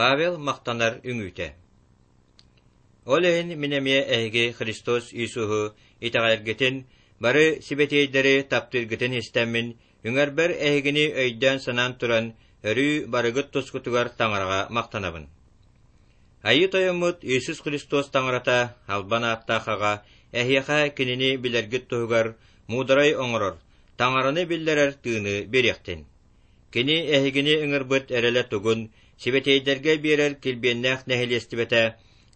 Павел махтанар үҥүүтэ. Ол иһин мин эмиэ эһиги Христос Иисуһу итэҕэйэргитин, бары сибэтиэйдэри таптыыргытын истэммин, үҥэрбэр эһигини өйдөөн-санаан туран, өрүү барыгыт тускутугар Таҥараҕа махтанабын. Айыы Тойоммут Иисус Христос Таҥарата, албан ааттаах Аҕа, эһиэхэ Кинини билэргит туһугар муударай оҥорор, Таҥараны биллэрэр тыыны биэриэхтин. Кини эһигини ыҥырбыт эрэлэ тугун, сибэтиэйдэргэ биэрэр килбиэннээх нэһилиэстибэтэ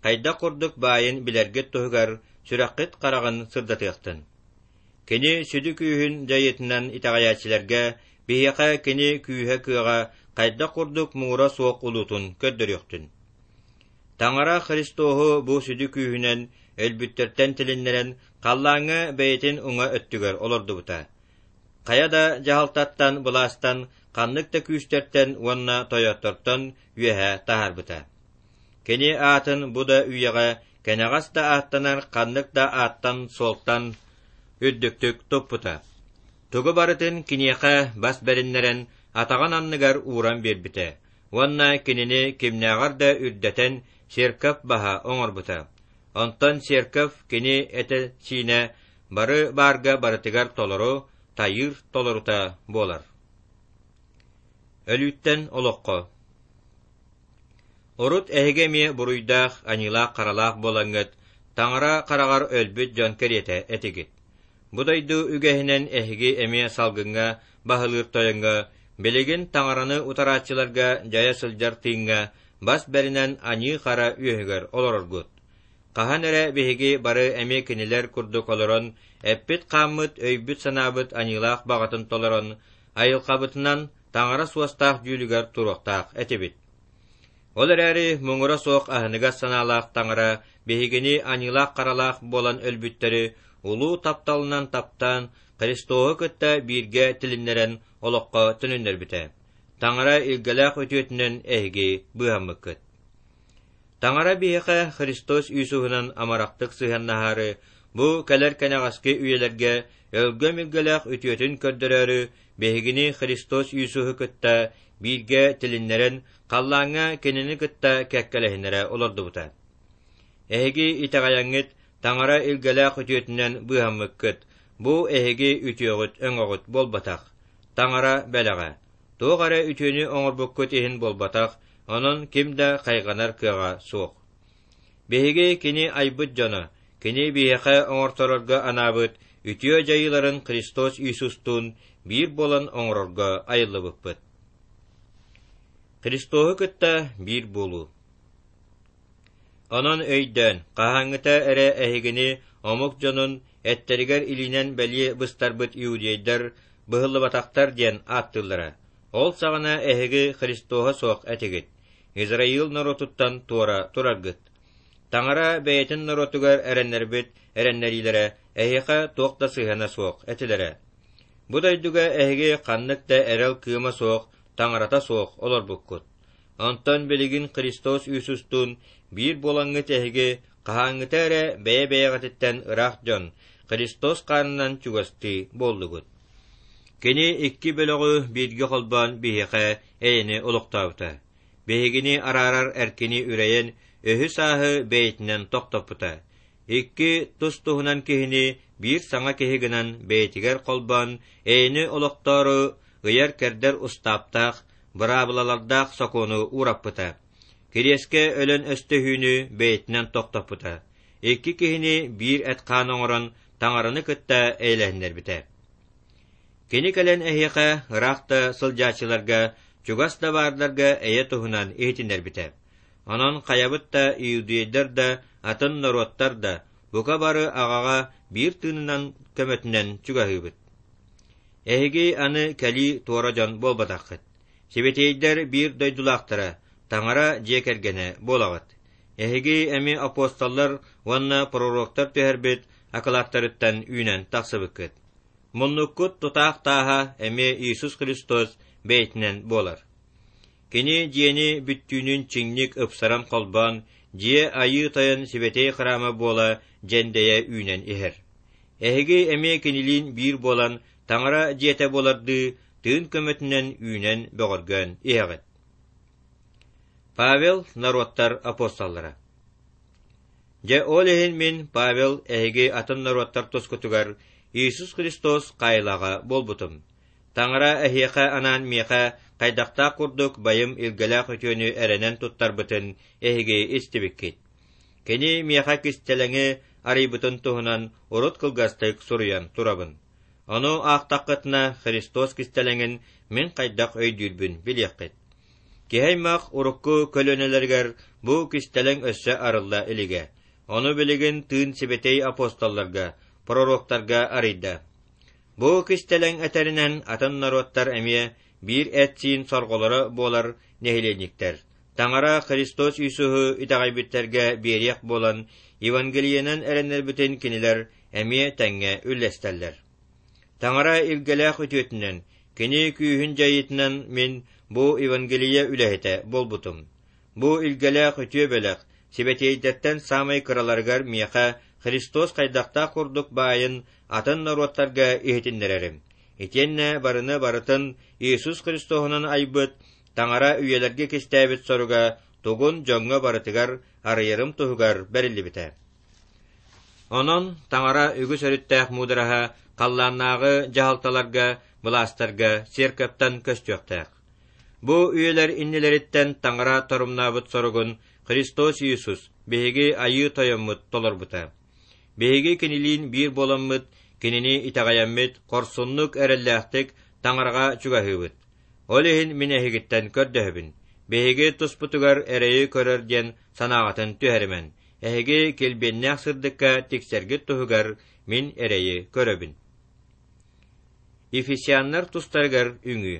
хайдах курдук баайын билэргит туһугар сүрэххит хараҕын сырдатыахтын. Кини сүдү күүһүн дьайыытынан итэҕэйээччилэргэ биһиэхэ кини күүһэ-кыаҕа хайдах курдук муҥура суох улуутун көрдөрүөхтүн. Таҥара Христоһу бу сүдү күүһүнэн өлбүттэртэн тилиннэрэн халлааҥҥа бэйэтин уҥа өттүгэр олордубута. Хайа да дьаһалтаттан, былаастан, ханнык да күүстэртэн уонна тойоттортон үөһэ таһаарбыта. Кини аатын бу да үйэҕэ кэнэҕэс да ааттанар ханнык да ааттан-суолтан үрдүктүк туппута. Тугу барытын киниэхэ бас бэриннэрэн атаҕын анныгар ууран биэрбитэ уонна кинини кимнээҕэр да үрдэтэн церковь баһа оҥорбута. Онтон церковь кини этэ-сиинэ бары баарга барытыгар толору, тайыыр толорута буолар. Өлүүттэн олоххо Урут эһиги эмиэ буруйдаах, аньыылаах-харалаах буолаҥҥыт, Таҥара хараҕар өлбүт дьон кэриэтэ этигит. Бу дойду үгэһинэн эһиги эмиэ салгыҥҥа баһылыыр тойоҥҥо, билигин Таҥараны утарааччыларга дьайа сылдьар тыыҥҥа бас бэринэн аньыы-хара үөһүгэр олороргут. Хаһан эрэ биһиги бары эмиэ кинилэр курдук олорон, эппит-хааммыт, өйбүт-санаабыт аньыылаах баҕатын толорон, айылҕабытынан Таҥара суостаах дьүүлүгэр туруохтаах этибит. Ол эрээри муҥура суох аһыныгас санаалаах Таҥара биһигини аньыылаах-харалаах буолан өлбүттэри улуу тапталынан таптаан, Христоһу кытта бииргэ тилиннэрэн олоххо төнүннэрбитэ. Таҥара илгэлээх үтүөтүнэн эһиги быыһаммыккыт. Таҥара биһиэхэ Христос Иисуһунан амарахтык сыһыаннаһаары, бу кэлэр кэнэҕэски үйэлэргэ өлгөм илгэлээх үтүөтүн көрдөрөөрү биһигини Христос Иисуһу кытта бииргэ тилиннэрэн, халлааҥҥа Кинини кытта кэккэлэһиннэрэ олордубута. Эһиги итэҕэйэҥҥит Таҥара илгэлээх үтүөтүнэн быыһаммыккыт, бу эһиги үтүөҕүт-өҥөҕүт буолбатах, Таҥара бэлэҕэ. Туох эрэ үтүөнү оҥорбуккут иһин буолбатах, онон ким да хайҕанар кыаҕа суох. Биһиги кини айбыт дьоно, кини биһиэхэ оҥорторорго анаабыт үтүө дьайыыларын Христос Иисустуун биир буолан оҥорорго айыллыбыппыт. Христоһу кытта биир буолуу. Онон өйдөөн, хаһааҥҥыта эрэ эһигини омук дьонун эттэригэр илиинэн бэлиэ быстарбыт иудейдар быһыллыбатахтар диэн ааттыыллара. Ол саҕана эһиги Христоһа суох этигит, Израил норуотуттан туора тураргыт. Таҥара бэйэтин норуотугар эрэннэрбит эрэннэриилэрэ эһиэхэ туох да сыһыана суох этилэрэ. Бу дойдуга эһиги ханнык да эрэл кыыма суох, таҥарата суох олорбуккут. Онтон билигин Христос Иисустуун биир буолаҥҥыт эһиги хаһааҥҥыта эрэ бэйэ-бэйэҕититтэн ыраах дьон, Христос хаанынан чугастыы буоллугут. Кини икки бөлөҕү бииргэ холбоон биһиэхэ эйэни олохтообута. Биһигини араарар эркини үрэйэн, өһү-сааһы бэйэтинэн тохтоппута. Икки тус-туһунан киһини биир саҥа киһи гынан бэйэтигэр холбоон, эйэни олохтоору ыйар-кэрдэр устааптаах, быраабылалардаах сокуону уураппыта. Кириэскэ өлөн өстөһүүнү бэйэтинэн тохтоппута. Икки киһини биир эт-хаан оҥорон Таҥараны кытта эйэлэһиннэрбитэ. Кини кэлэн эһиэхэ ыраах да сылдьааччыларга, чугас да баардарга эйэ туһунан иһитиннэрбитэ. Онон хайабыт да иудейдар да, атын норуоттар да, бука бары аҕаҕа биир тыынынан көмөтүнэн чугаһыыбыт. Эһиги аны кэлии туора дьон буолбатаххыт. Сибэтиэйдэр биир дойдулаахтара, Таҥара дьиэ кэргэнэ буолаҕыт. Эһиги эмиэ апостоллар уонна пророктар түһэрбит акылааттарыттан үүнэн тахсыбыккыт. Муннуккут тутаах тааһа эмиэ Иисус Христос бэйэтинэн буолар. Кини дьиэни бүттүүнүн чиҥник ыпсаран холбоон, дьиэ Айыы Тойон сибэтиэй храма буола дьэндэйэ үүнэн иһэр. Эһиги эмиэ кинилиин биир буолан, Таҥара дьиэтэ буолардыы тыын көмөтүнэн үүнэн бөҕөргөөн иһэҕит. Павел норуоттар апостоллара. Дьэ ол иһин мин, Павел, эһиги атын норуоттар тускутугар Иисус Христос хаайылаҕа буолбутум. Таҥара эһиэхэ анаан миэхэ хайдахтаах курдук байым илгэлээх үтүөнү эрэнэн туттарбытын эһиги истибиккит. Кини миэхэ кистэлэҥи арыйбытын туһунан урут кылгастык суруйан турабын. Ону аахтаххытына Христос кистэлэҥин мин хайдах өйдүүрбүн билиэххит. Киһи аймах урукку көлүөнэлэригэр бу кистэлэҥ өссө арылла илигэ. Ону билигин тыын сибэтиэй апостолларга, пророктарга арыйда. Бу кистэлэҥ этэринэн атын норуоттар эмиэ биир эт-сиин сорҕолоро буолар нэһилиэнньиктэр. Таҥара Христос Иисуһу итэҕэйбиттэргэ биэриэх буолан, Евангелиенан эрэннэрбитин кинилэр эмиэ тэҥҥэ үллэстэллэр. Таҥара илгэлээх үтүөтүнэн, кини күүһүн дьайыытынан мин бу Евангелие үлэһитэ буолбутум. Бу илгэлээх үтүө бэлэх сибэтиэйдэртэн саамай кыраларыгар миэхэ Христос хайдахтаах курдук баайын атын норуоттарга иһитиннэрэрим. Итиэннэ барыны барытын Иисус Христоһунан айбыт Таҥара үйэлэргэ кистээбит соруга тугун дьоҥҥо барытыгар арыйарым туһугар бэриллибитэ. Онон Таҥара үгүс өрүттээх муудараһа халлааннааҕы дьаһалталарга, былаастарга церковтан көстүөхтээх. Бу үйэлэр иннилэриттэн Таҥара торумнаабыт соругун Христос Иисус, биһиги Айыы Тойоммут толорбута. Биһиги кинилиин биир буоламмыт, кинини итэҕэйэммит, хорсуннук, эрэллээхтик Таҥараҕа чугаһыыбыт. Ол иһин мин эһигиттэн көрдөһөбүн, биһиги туспутугар эрэйи көрөр диэн санааҕытын түһэримэн, эһиги килбиэннээх сырдыкка тиксэргит туһугар мин эрэйи көрөбүн. Ефесяннар тустарыгар үҥүү.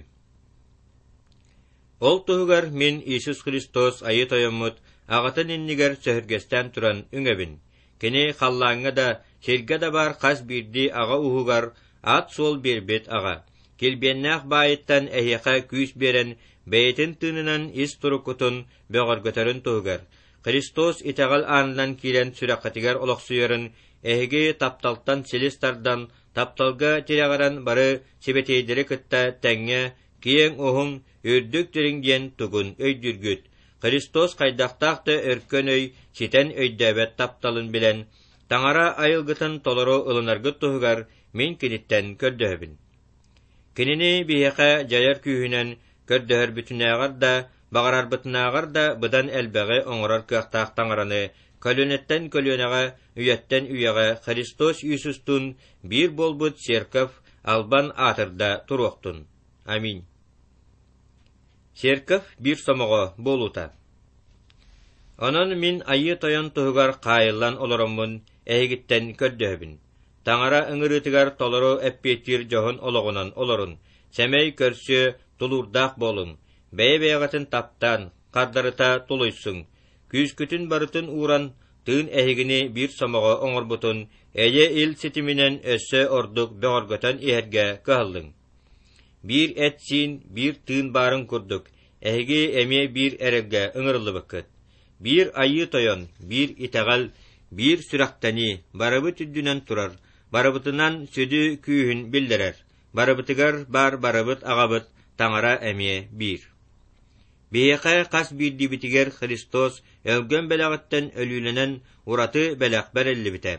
Ол туһугар мин Иисус Христос Айыы Тойоммут Аҕатын иннигэр сөһүргэстээн туран үҥэбин. Кини халлааҥҥа да, сиргэ да баар хас биирдии аҕа ууһугар аат-суол биэрбит аҕа, килбиэннээх баайыттан эһиэхэ күүс биэрэн, бэйэтин тыынынан ис туруккутун бөҕөргөтөрүн туһугар, Христос итэҕэл аанынан киирэн сүрэххитигэр олохсуйарын эһиги тапталтан силис тардан, тапталга тирэҕирэн бары сибэтиэйдэри кытта тэҥҥэ киэҥ уһун, үрдүк дириҥ диэн тугун өйдүүргүт, Христос хайдахтаах да өркөн өй ситэн өйдөөбөт тапталын билэн, Таҥара айылгытын толору ылынаргыт туһугар мин киниттэн көрдөһөбүн. Кинини биһиэхэ дьайар күүһүнэн көрдөһөрбүтүнээҕэр да, баҕарарбытынааҕар да быдан элбэҕи оҥорор кыахтаах Таҥараны көлүөнэттэн көлүөнэҕэ, үйэттэн үйэҕэ Христос Иисустуун биир буолбут Церковь албан аатырда туруохтун. Аминь. Церковь биир сомоҕо буолуута. Онон мин Айыы Тойон туһугар хаайыллан олороммун эһигиттэн көрдөһөбүн. Таҥара ыҥырыытыгар толору эппиэттиир дьоһун олоҕунан олорун, сэмэй көрсүө, тулуурдаах буолуҥ, бэйэ-бэйэҕитин таптаан, хардарыта тулуйсуҥ, күүскүтүн барытын ууран, тыын эһигини биир сомоҕо оҥорбутун эйэ-ил ситиминэн өссө ордук бөҕөргөтөн иһэргэ кыһаллыҥ. Биир эт-сиин, биир тыын баарын курдук, эһиги эмиэ биир эрэлгэ ыҥырыллыбыккыт. Биир Айыы Тойон, биир итэҕэл, биир сүрэхтэнии барыбыт үрдүнэн турар, барыбытынан сүдү күүһүн биллэрэр, барыбытыгар баар барыбыт аҕабыт Таҥара эмиэ биир. Биһиэхэ хас биирдиибитигэр Христос өлгөм бэлэҕиттэн өлүүлэнэн ураты бэлэх бэриллибитэ.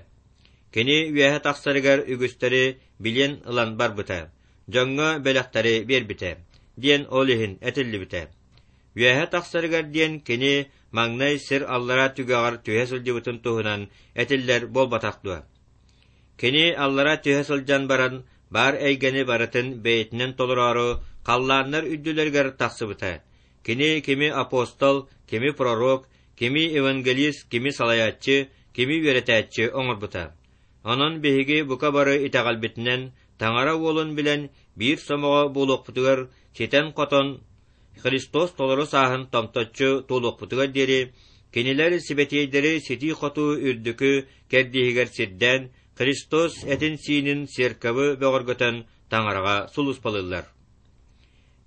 Кини үөһэ тахсарыгар үгүстэри билиэн ылан барбыта, дьоҥҥо бэлэхтэри биэрбитэ, диэн ол иһин этиллибитэ. Үөһэ тахсарыгар диэн кини маҥнай сир аллара түгэҕэр түһэ сылдьыбытын туһунан этиллэр буолбатах дуо? Кини аллара түһэ сылдьан баран, баар эйгэни барытын бэйэтинэн толороору халлааннар үрдүлэригэр тахсыбыта. Кини кими апостол, кими пророк, кими евангелист, кими салайааччы, кими үөрэтээччи оҥорбута. Онон биһиги бука бары итэҕэлбитинэн Таҥара Уолун билэн биир сомоҕо буолуохпутугар ситэн-хотон Христос толору сааһын томточчу туолуохпутугар диэри, кинилэр сибэтиэйдэри ситии-хотуу үрдүкү кэрдииһигэр сирдээн, Христос этин-сиинин церковы бөҕөргөтөн Таҥараҕа сулууспалыыллар.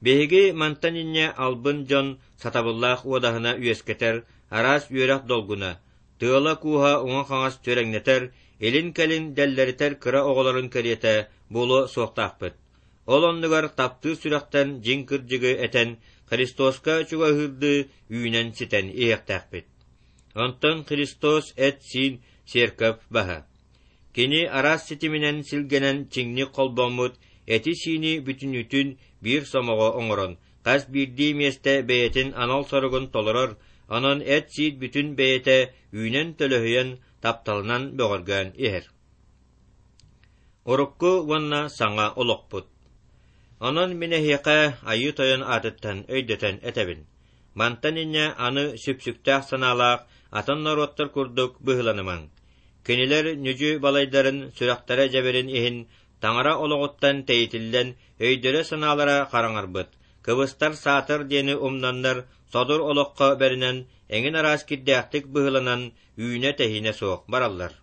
Биһиги мантан инньэ албын дьон сатабыллаах уодаһына үөскэтэр араас үөрэх долгуна, тыала-кууһа уҥа-хаҥас түөрэҥнэтэр, илин-кэлин дэллэритэр кыра оҕолорун кэриэтэ буолуо суохтаахпыт. Ол оннугар таптыыр сүрэхтэн дьиҥ кырдьыгы этэн, Христоска чугаһыырдыы үүнэн-ситэн иһиэхтээхпит. Онтон Христос эт-сиин церковь баһа. Кини араас ситиминэн силгэнэн чиҥник холбоммут эти-сиини бүтүннүүтүн биир сомоҕо оҥорон, хас биирдии миэстэ бэйэтин анал соругун толорор, онон эт-сиин бүтүн бэйэтэ үүнэн-төлөһүйэн, тапталынан бөҕөргөөн иһэр. Урукку уонна саҥа олохпут. Онон мин эһиэхэ Айыы Тойон аатыттан өйдөтөн этэбин. Мантан инньэ аны сүпсүктээх санаалаах атын норуоттар курдук быһыыланымаҥ. Кинилэр ньүдьү балайдарын сүрэхтэрэ дьэбирин иһин таҥара олоҕуттан тэйитиллэн өйдөрө-санаалара хараҥарбыт, кыбыстар саатар диэни умнаннар содур олоххо бэринэн эҥин араас кирдээхтик быһыыланан үүнэ-тэһиинэ суох бараллар.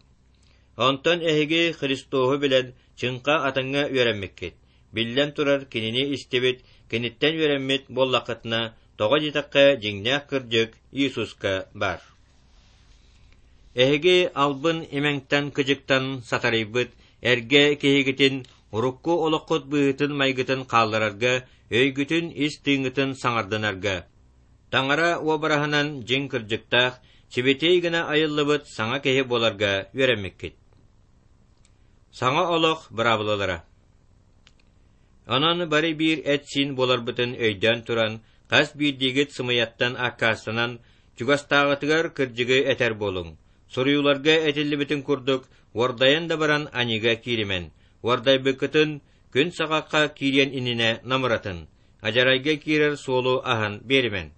Онтон эһиги Христоһу билэн, чыҥха атыҥҥа үөрэммиккит. Биллэн турар, кинини истибит, киниттэн үөрэммит буоллаххытына, тоҕо диэтэххэ, дьиҥнээх кырдьык Иисуска баар. Эһиги албын имэҥтэн-кыдьыктан сатарыйбыт эргэ киһигитин урукку олоххут быһыытын-майгытын хаалларарга, өйгүтүн ис тыыҥҥытын саҥардынарга, Таҥара уобараһынан дьиҥ кырдьыктаах, сибэтиэй гына айыллыбыт саҥа киһи буоларга үөрэммиккит. Саҥа олох быраабылалара Онон бары биир эт-сиин буоларбытын өйдөөн туран, хас биирдиигит сымыйаттан аккаастанан, чугастааҕытыгар кырдьыгы этэр буолуҥ. Суруйууларга этиллибитин курдук, уордайан да баран аньыыга кииримэн, уордайбыккытын күн саҕахха киириэн иннинэ намыратын, адьарайга киирэр суолу аһан биэримэн.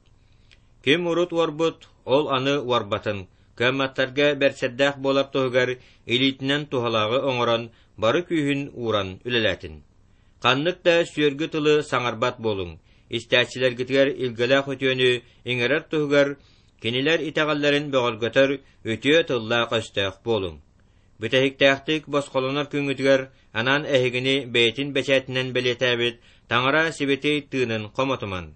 Ким урут уорбут, ол аны уорбатын, кыамматтарга бэрсэрдээх буолар туһугар илиитинэн туһалааҕы оҥорон, бары күүһүн ууран үлэлээтин. Ханнык да сүөргү тылы саҥарбат буолуҥ, истээччилэргитигэр илгэлээх үтүөнү иҥэрэр туһугар кинилэр итэҕэллэрин бөҕөргөтөр үтүө тыллаах-өстөөх буолуҥ. Бүтэһиктээхтик босхолонор күҥҥүтүгэр анаан эһигини бэйэтин бэчээтинэн бэлиэтээбит Таҥара сибэтиэй тыынын хомотуман.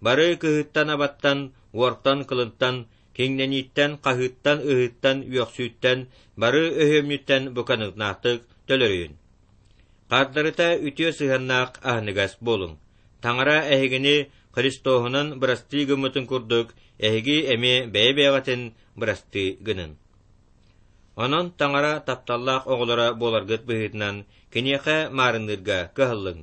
Бары кыһыттан-абаттан, уортан-кылынтан, киҥнэнииттэн, хаһыыттан-ыһыыттан, үөхсүүттэн, бары өһүөмньүттэн буканыгнаахтык төлөрүйүн. Хардарыта үтүө сыһыаннаах аһыныгас буолуҥ. Таҥара эһигини Христоһунан бырастыы гыммытын курдук, эһиги эмиэ бэйэ-бэйэҕитин бырастыы гынын. Онон Таҥара тапталлаах оҕолоро буоларгыт быһыытынан киниэхэ маарынныырга кыһаллыҥ.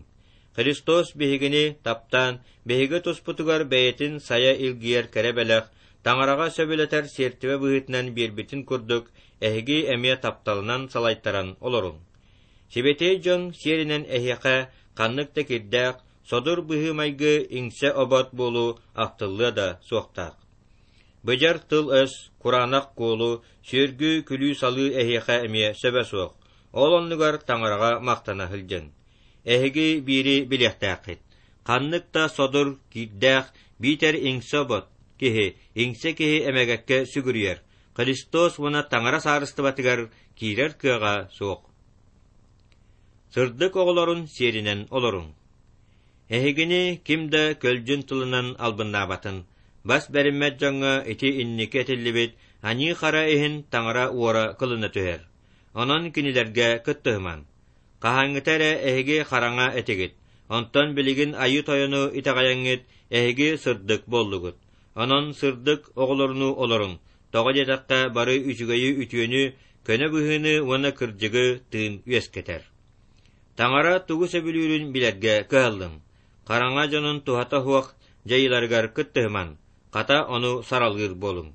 Христос биһигини таптаан, биһиги туспутугар бэйэтин сайа илгийэр кэрэ бэлэх, Таҥараҕа сөбүлэтэр сиэртибэ быһыытынан биэрбитин курдук, эһиги эмиэ тапталынан салайтаран олоруҥ. Сибэтиэй дьон сиэринэн эһиэхэ ханнык да кирдээх, содур быһыы-майгы иҥсэ-обот буолуу ахтыллыа да суохтаах. Быдьар тыл-өс, кураанах куолу, сүөргү, күлүү-салыы эһиэхэ эмиэ сөбө суох, ол оннугар таҥараҕа махтана сылдьыҥ. Эһиги биири билиэхтээххит: ханнык да содур, киирдээх, биитэр иҥсэ-обот киһи, иҥсэ киһи эмэгэккэ сүгүрүйэр, Христос уонна Таҥара саарыстыбатыгар киирэр кыаҕа суох. Сырдык оҕолорун сиэринэн олоруҥ. Эһигини ким да көлдьүн тылынан албыннаабатын, бас бэриммэт дьоҥҥо ити инники этиллибит аньыы-хара иһин таҥара уора кылына түһэр. Онон кинилэргэ кыттыһымаҥ. Хаһааҥҥыта эрэ эһиги хараҥа этигит, онтон билигин Айыы Тойону итэҕэйэҥҥит эһиги сырдык буоллугут. Онон сырдык оҕолорунуу олоруҥ, тоҕо диэтэххэ бары үчүгэйи-үтүөнү, көнө быһыыны уонна кырдьыгы тыын үөскэтэр. Таҥара тугу сөбүлүүрүн билэргэ кыһаллыҥ. Хараҥа дьонун туһата суох дьайыыларыгар кыттыһымаҥ, хата ону саралыыр буолуҥ.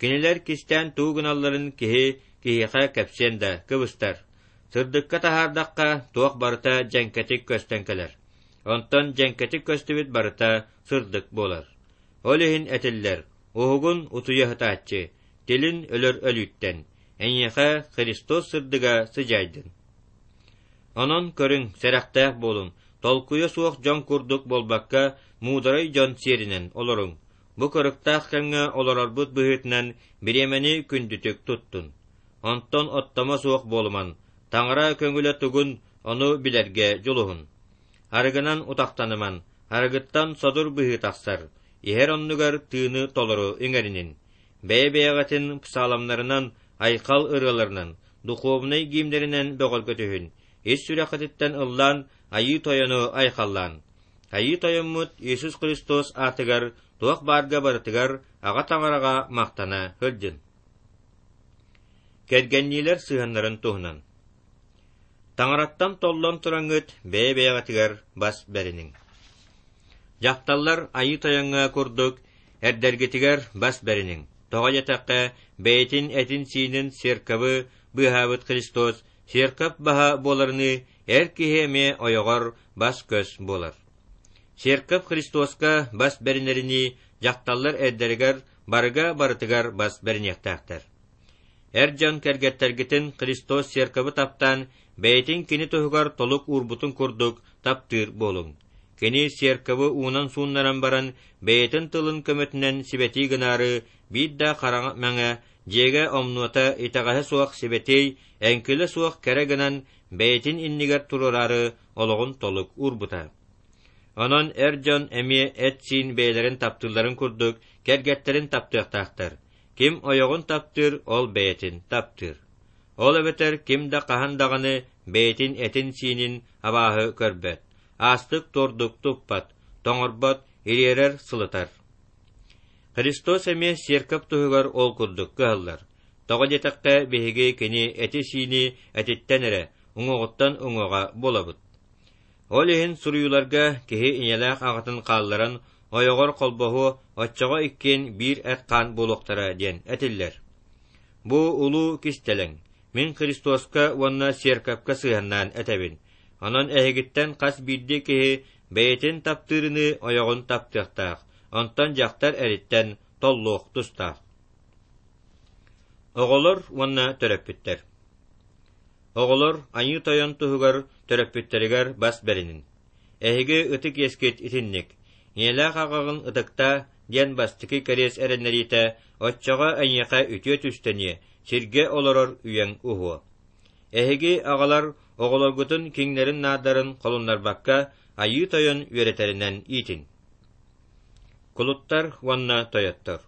Кинилэр кистээн тугу гыналларын киһи киһиэхэ кэпсиэн да кыбыстар. Сырдыкка таһаардахха, туох барыта дьэҥкэтик көстөн кэлэр. Онтон дьэҥкэтик көстүбүт барыта сырдык буолар. Ол иһин этиллэр: уһугун утуйа сытааччы, тилин өлөр өлүүттэн, эйиэхэ Христос сырдыга сыдьаайдын. Онон көрүҥ, сэрэхтээх буолуҥ, толкуйа суох дьон курдук буолбакка, муударай дьон сиэринэн олоруҥ. Бу кырыктаах кэмҥэ олорорбут быһыытынан бириэмэни күндүтүк туттун. Онтон оттомо суох буолуман, Таҥара көҥүлэ тугун, ону билэргэ дьулуһун. Арыгынан утахтаныман, арыгыттан содур быһыы тахсар, иһэр оннугар тыыны толору иҥэринин. Бэйэ-бэйэҕитин псаломнарынан, айхал ырыаларынан, духовнай гимнэринэн бөҕөргөтүһүн, ис сүрэххититтэн ыллаан Айыы Тойону айхаллаан. Айыы Тойоммут Иисус Христос аатыгар туох баарга барытыгар Аҕа Таҥараҕа махтана сылдьын. Кэргэнниилэр сыһыаннарын туһунан. Таҥараттан толлон тураҥҥыт бэйэ-бэйэҕитигэр бас бэриниҥ. Дьахталлар Айыы Тойоҥҥо курдук эрдэргитигэр бас бэриниҥ. Тоҕо диэтэххэ, бэйэтин этин-сиинин церковы быыһаабыт Христос церковь баһа буоларыныы эр киһи эмиэ ойоҕор бас-көс буолар. Церковь Христоска бас бэринэринии дьахталлар эрдэригэр барыга барытыгар бас бэриниэхтээхтэр. Эр дьон кэргэттэргитин Христос церковы таптаан, бэйэтин кини туһугар толук уурбутун курдук таптыыр буолуҥ. Кини церковы уунан сууннаран баран, бэйэтин тылын көмөтүнэн сибэтии гынаары, биир да хараҥа мэҥэ, дьиэгэ омнуота итэҕэһэ суох сибэтиэй, эҥкилэ суох кэрэ гынан, бэйэтин иннигэр туруораары олоҕун толук уурбута. Онон эр дьон эмиэ эт-сиин бэйэлэрин таптыылларын курдук кэргэттэрин таптыахтаахтар. Ким ойоҕун таптыыр, ол бэйэтин таптыыр. Ол эбэтэр ким да хаһан даҕаны бэйэтин этин-сиинин абааһы көрбөт, аастык-туордук туппат, тоҥорбот, ириэрэр, сылытар. Христос эмиэ сиэркэп туһугар ол курдук кыһаллар. Тоҕо диэтэххэ, биһиги кини эти-сиини этиттэн эрэ, уҥуоҕуттан уҥуоҕа буолабыт. Ол иһин суруйууларга киһи ийэлээх аҕатын хаалларан ойоҕор холбоһуо, оччоҕо иккиэн биир эт-хаан буолуохтара диэн этиллэр. Бу улуу кистэлэҥ, мин Христоска уонна сиэркэпкэ сыһыаннаан этэбин. Онон эһигиттэн хас биирдии киһи бэйэтин таптыырыныы ойоҕун таптыахтаах, онтон дьахтар эриттэн толлуох тустаах. Оҕолор уонна төрөппүттэр Оҕолор Айыы Тойон туһугар төрөппүттэригэр бас бэриниҥ. Эһиги ытык иэскит итинник. Ийэлээх аҕаҕын ытыктаа диэн бастакы кэриэс эрэннэриитэ оччоҕо эйиэхэ үтүө түстэниэ, сиргэ олорор үйэҥ уһуо. Эһиги аҕалар оҕолоргутун киҥнэрин-наардарын холуннарбакка Айыы Тойон үөрэтэринэн иитин. Кулуттар уонна тойоттор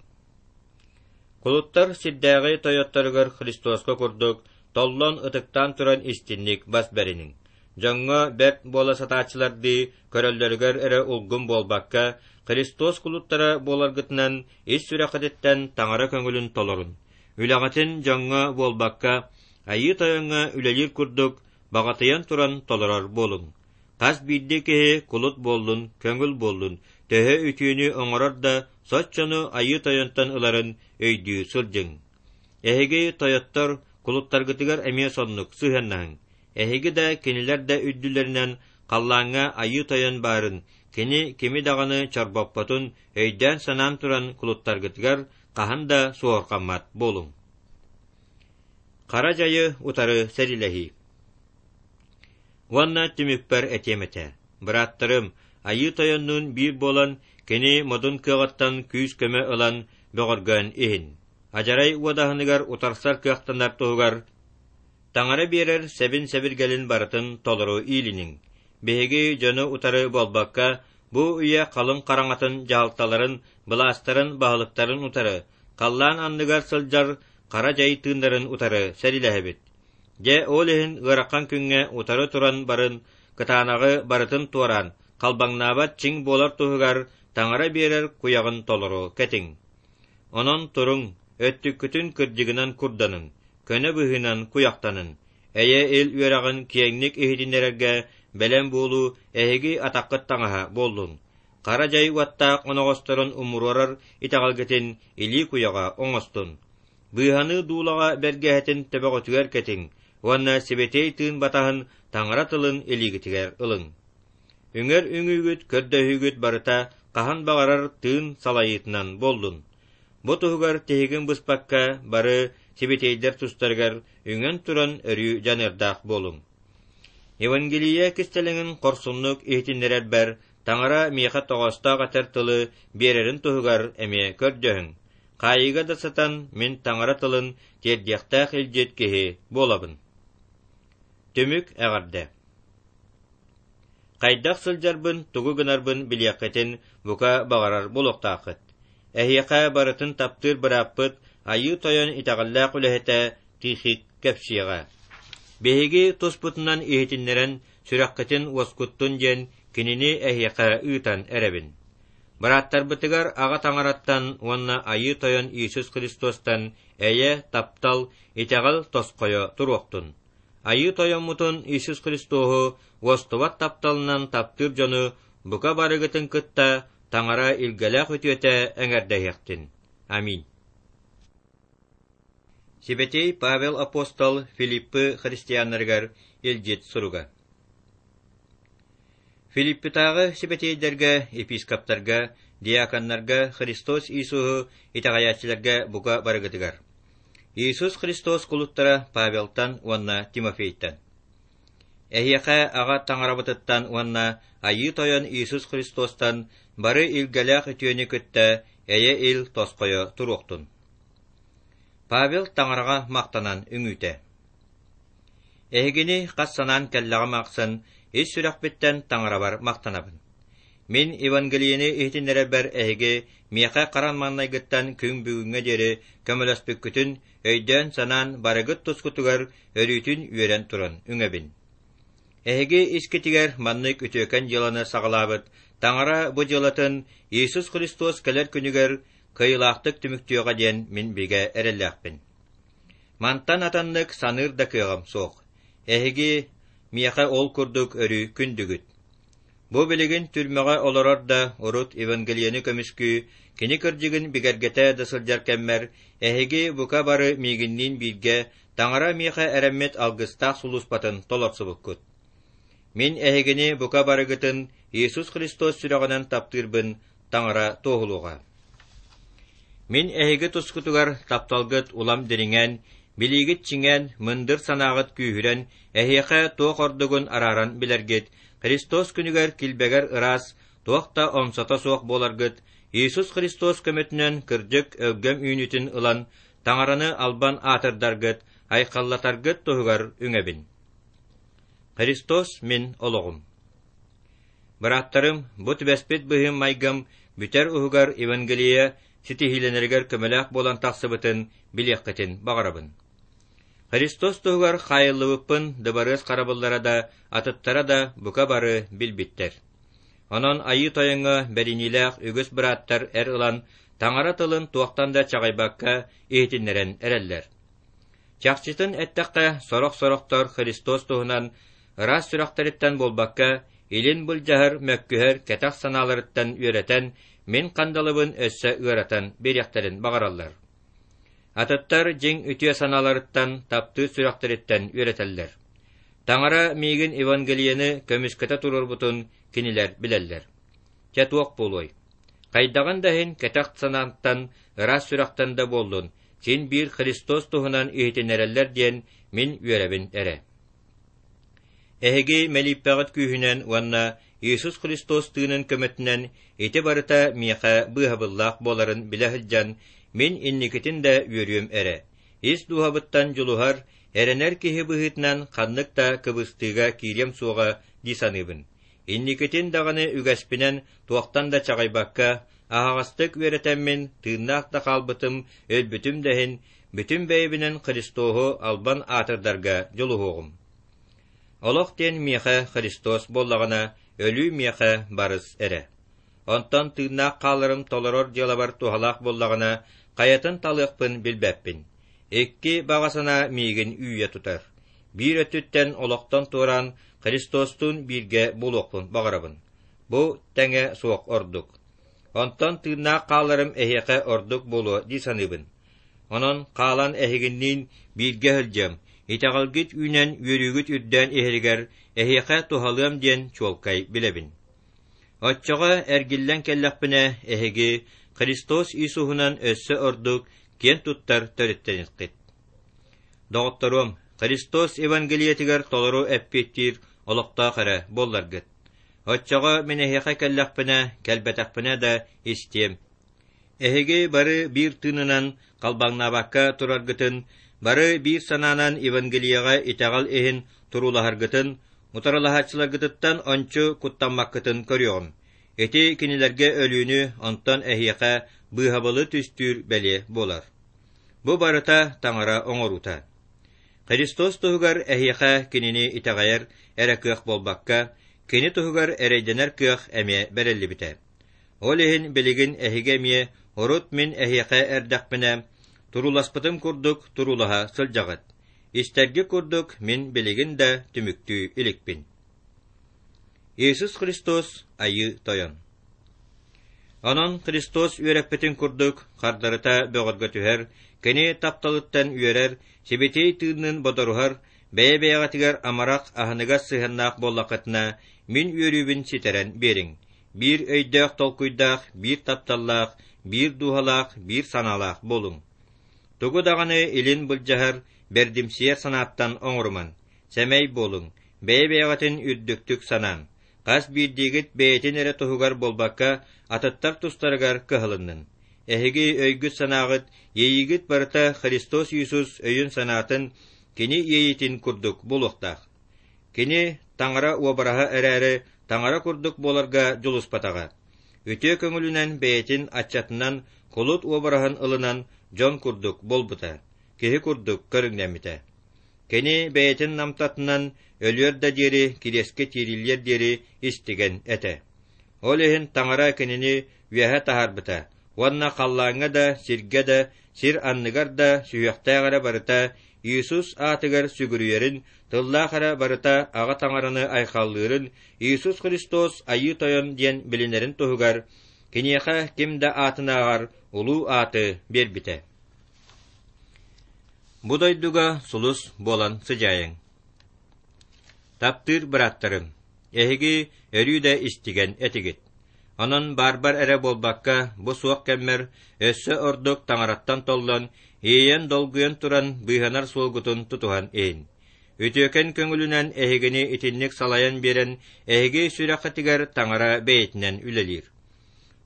Кулуттар сирдээҕи тойотторугар Христоска курдук толлон ытыктаан туран истинник бас бэриниҥ. Дьоҥҥо бэрт буола сатааччылардыы көрөллөрүгэр эрэ улгум буолбакка, Христос кулуттара буоларгытынан ис сүрэххититтэн Таҥара көҥүлүн толорун. Үлэҕитин дьоҥҥо буолбакка, Айыы Тойоҥҥо үлэлиир курдук баҕатыйан туран толорор буолуҥ. Хас биирдии киһи кулут буоллун, көҥүл буоллун, төһө үтүөнү оҥорор да, соччону Айыы Тойонтон ыларын өйдүү сылдьыҥ. Эһиги, тойоттор, кулуттаргытыгар эмиэ соннук сыһыаннаһыҥ. Эһиги да, кинилэр да үрдүлэринэн халлааҥҥа Айыы Тойон баарын, кини кими даҕаны чорбоппотун өйдөөн-санаан туран кулуттаргытыгар хаһан да суоһурҕаммат буолуҥ. Хара дьайы утары сэриилэһии Уонна түмүкпэр этиэм этэ: бырааттарым, Айыы Тойоннуун биир буолан, кини модун кыаҕыттан күүс-көмө ылан бөҕөргөөн иһин. Адьарай уодаһыныгар утарсар кыахтанар туһугар Таҥара биэрэр сэбин-сэбиргэлин барытын толору иилиниҥ. Биһиги дьону утары буолбакка, бу үйэ халыҥ хараҥатын дьаһалталарын, былаастарын, баһылыктарын утары, халлаан анныгар сылдьар хара дьай тыыннарын утары сэриилэһэбит. Дьэ, ол иһин ыарахан күҥҥэ утары туран барын, кытаанаҕы барытын туораан, халбаҥнаабат чиҥ буолар туһугар таҥара биэрэр куйаҕын толору кэтиҥ. Онон туруҥ, өттүккүтүн кырдьыгынан курданыҥ, көнө быһыынан куйахтаныҥ, эйэ-ил үөрэҕин киэҥник иһитиннэрэргэ бэлэм буолуу эһиги атаххыт таҥаһа буоллун. Хара дьай уоттаах оноҕосторун умуруорар итэҕэлгитин илии куйаҕа оҥостун. Быыһаныы дуулаҕа бэргэһэтин төбөҕүтүгэр кэтиҥ уонна сибэтиэй тыын батаһын Таҥара тылын илиигитигэр ылыҥ. Үҥэр үҥүүгүт, көрдөһүүгүт барыта хаһан баҕарар тыын салайыытынан буоллун. Бу туһугар тиһигин быспакка бары сибэтиэйдэр тустарыгар үҥэн туран өрүү дьаныардаах буолуҥ. Евангелие кистэлэҥин хорсуннук иһитиннэрэрбэр Таҥара миэхэ тоҕоостоох этэр тылы биэрэрин туһугар эмиэ көрдөһүҥ. Хаайыыга да сытан мин таҥара тылын тиэрдиэхтээх илдьит киһи буолабын. Түмүк эҕэрдэ Хайдах сылдьарбын, тугу гынарбын билиэххитин бука баҕарар буолуохтааххыт. Эһиэхэ барытын таптыыр бырааппыт Айыы Тойон итэҕэллээх үлэһитэ Тихик кэпсиэҕэ. Биһиги туспутунан иһитиннэрэн сүрэххитин уоскуттун диэн. кинини эһиэхэ ыытан эрэбин. Бырааттарбытыгар Аҕа Таҥараттан уонна Айыы Тойон Иисус Христостан эйэ, таптал, итэҕэл тосхойо туруохтун. Айыы Тойоммутун Иисус Христоһу уостубат тапталынан таптыыр дьону бука барыгытын кытта Таҥара илгэлээх үтүөтэ эҥэрдэһиэхтин. Аминь. Сибэтиэй Павел апостол Филиппы христианнарыгар илдьит суруга. Филиппитааҕы сибэтиэйдэргэ, епископтарга, диаконнарга Христос Иисуһу итэҕэйээччилэргэ бука барыгытыгар. Иисус Христос кулуттара Павелтан уонна Тимофейтан. Эһиэхэ Аҕа Таҥарабытыттан уонна Айыы Тойон Иисус Христостан бары илгэлээх үтүөнү кытта эйэ-ил тосхойо туруохтун. Павел Таҥараҕа махтанан үҥүүтэ. Эһигини хас санаан кэллэҕим ахсын ис сүрэхпиттэн Таҥарабар махтанабын. Мин Евангелиены иһитиннэрэрбэр эһиги миэхэ харан маҥнайгыттан күн бүгүҥҥэ диэри көмөлөспүккүтүн өйдөөн-санаан барыгыт тускутугар өрүүтүн үөрэн туран үҥэбин. Эһиги искитигэр маннык үтүөкэн дьыаланы саҕалаабыт Таҥара бу дьыалатын Иисус Христос кэлэр күнүгэр кыайыылаахтык түмүктүөҕэ диэн мин бигэ эрэллээхпин. Мантан атыннык саныыр да кыаҕым суох. Эһиги миэхэ ол курдук өрүү күндүгүт. Бу билигин түрмэҕэ олорор да, урут Евангелиены көмүскүү, кини кырдьыгын бигэргэтэ да сылдьар кэммэр, эһиги бука бары миигинниин бииргэ Таҥара миэхэ эрэммит алгыстаах сулууспатын толорсубуккут. Мин эһигини бука барыгытын Иисус Христос сүрэҕинэн таптыырбын Таҥара туоһулуоҕа. Мин эһиги тускутугар тапталгыт улам дириҥээн, билиигит чиҥээн, мындыр санааҕыт күүһүрэн, эһиэхэ туох ордугун арааран билэргит, Христос күнүгэр килбэгэр ыраас, туох да омсото суох буоларгыт, Иисус Христос көмөтүнэн кырдьык өлгөм үүнүүтүн ылан, Таҥараны албан аатырдаргыт, айхаллатаргыт туһугар үҥэбин. Христос мин олоҕум. Бырааттарым, бу түбэспит быһыым-майгым бүтэр уһугар Евангелие ситиһиилэнэригэр көмөлөөх буолан тахсыбытын билиэххитин баҕарабын. Христос туһугар хаайыллыбыппын дыбарыас харабыллара да, атыттара да бука бары билбиттэр. Онон Айыы Тойоҥҥо бэриниилээх үгүс бырааттар эр ылан, Таҥара тылын туохтан да чаҕыйбакка иһитиннэрэн эрэллэр. Чахчытын эттэххэ, сорох-сорохтор Христос туһунан ыраас сүрэхтэриттэн буолбакка, илин былдьаһар, мөккүһэр кэтэх санааларыттан үөрэтэн, мин хандалыбын өссө ыаратан биэриэхтэрин баҕараллар. Атыттар дьиҥ үтүө санааларыттан, таптыыр сүрэхтэриттэн үөрэтэллэр. Таҥара миигин Евангелиены көмүскэтэ туруорбутун кинилэр билэллэр. Чэ туох буолуой? Хайдаҕын да иһин кэтэх санааттан, ыраас сүрэхтэн да буоллун, син биир Христос туһунан иһитиннэрэллэр диэн мин үөрэбин эрэ. Эһиги мэлииппэҕит күүһүнэн уонна Иисус Христос тыынын көмөтүнэн ити барыта миэхэ быыһабыллаах буоларын билэ сылдьан, мин инникитин да үөрүөм эрэ. Ис дууһабыттан дьулуһар, эрэнэр киһи быһыытынан ханнык да кыбыстыыга киириэм суоҕа дии саныыбын. Инникитин даҕаны үгэспинэн туохтан да чаҕыйбакка, аһаҕастык үөрэтэммин, тыыннаах да хаалбытым, өлбүтүм да иһин, бүтүн бэйэбинэн Христоһу албан аатырдарга дьулуһуоҕум. Олох диэн миэхэ Христос буоллаҕына, өлүү миэхэ барыс эрэ. Онтон тыыннаах хааларым толорор дьыалабар туһалаах буоллаҕына, хайатын талыахпын билбэппин. Икки баҕа санаа миигин үүйэ тутар. Биир өттүттэн олохтон туораан Христостуун бииргэ буолуохпун баҕарабын. Бу тэҥэ суох ордук. Онтон тыыннаах хааларым эһиэхэ ордук буолуо дии саныыбын. Онон хаалан эһигинниин бииргэ сылдьыам, итэҕэлгит үүнэн үөрүүгүт үрдээн иһэригэр эһиэхэ туһалыам диэн чуолкай билэбин. Оччоҕо эргиллэн кэллэхпинэ, эһиги Христос Иисуһунан өссө ордук киэн туттар төрүттэниэххит. Доҕотторуом, Христос Евангелиетыгар толору эппиэттиир олохтоох эрэ буолларгыт. Оччоҕо мин эһиэхэ кэллэхпинэ, кэлбэтэхпинэ да истиэм. Эһиги бары биир тыынынан халбаҥнаабакка тураргытын, бары биир санаанан Евангелиеҕа итэҕэл иһин туруулаһаргытын, утарылаһааччыларгытыттан ончу куттаммаккытын көрүөҕүм. Ити кинилэргэ өлүүнү, онтон эһиэхэ быыһабылы түстүүр бэлиэ буолар. Бу барыта Таҥара оҥоруута. Христос туһугар эһиэхэ кинини итэҕэйэр эрэ кыах буолбакка, Кини туһугар эрэйдэнэр кыах эмиэ бэриллибитэ. Ол иһин билигин эһиги эмиэ урут мин эһиэхэ эрдэхпинэ, турууласпытым курдук туруулаһа сылдьаҕыт. Истэргит курдук мин билигин да түмүктүү иликпин. Иисус Христос Айыы Тойон Онон Христос үөрэппитин курдук хардарыта бөҕөргөтүһэр, кини тапталыттан үөрэр, сибэтиэй тыынныын бодоруһар, бэйэ-бэйэҕитигэр амарах, аһыныгас сыһыаннаах буоллаххытына, мин үөрүүбүн ситэрэн биэриҥ. Биир өйдөөх толкуйдаах, биир тапталлаах, биир дууһалаах, биир санаалаах буолуҥ. Тугу даҕаны илин былдьаһар, бэрдимсийэр санааттан оҥорумаҥ. Сэмэй буолуҥ, бэйэ-бэйэҕитин үрдүктүк санааҥ. Хас биирдиигит бэйэтин эрэ туһугар буолбакка, атыттар тустарыгар кыһалыннын. Эһиги өйгүт-санааҕыт, иэйиигит барыта Христос Иисус өйүн-санаатын, Кини иэйиитин курдук буолуохтаах. Кини Таҥара уобараһа эрээри, Таҥара курдук буоларга дьулуспатаҕа. Үтүө көҥүлүнэн бэйэтин аччатынан кулут уобараһын ылынан дьон курдук буолбута, киһи курдук көрүҥнэммитэ. Кини бэйэтин намтатынан өлүөр да диэри кириэскэ тиириллиэр диэри истигэн этэ. Ол иһин Таҥара кинини үөһэ таһаарбыта уонна халлааҥҥа да, сиргэ да, сир анныгар да сүһүөхтээх эрэ барыта Иисус аатыгар сүгүрүйэрин, тыллаах эрэ барыта Аҕа Таҥараны айхаллыырын Иисус Христос Айыы Тойон диэн билинэрин туһугар киниэхэ ким да аатынааҕар улуу ааты биэрбитэ. Бу дойдуга сулус буолан сыдьаайыҥ. Таптыыр бырааттарым, эһиги өрүү да истигэн этигит. Онон баарбар эрэ буолбакка, бу суох кэммэр өссө ордук таҥараттан толлон, иэйэн-долгуйан туран быыһанар суолгутун тутуһан иһин. Үтүөкэн көҥүлүнэн эһигини итинник салайан биэрэн, эһиги сүрэххитигэр таҥара бэйэтинэн үлэлиир.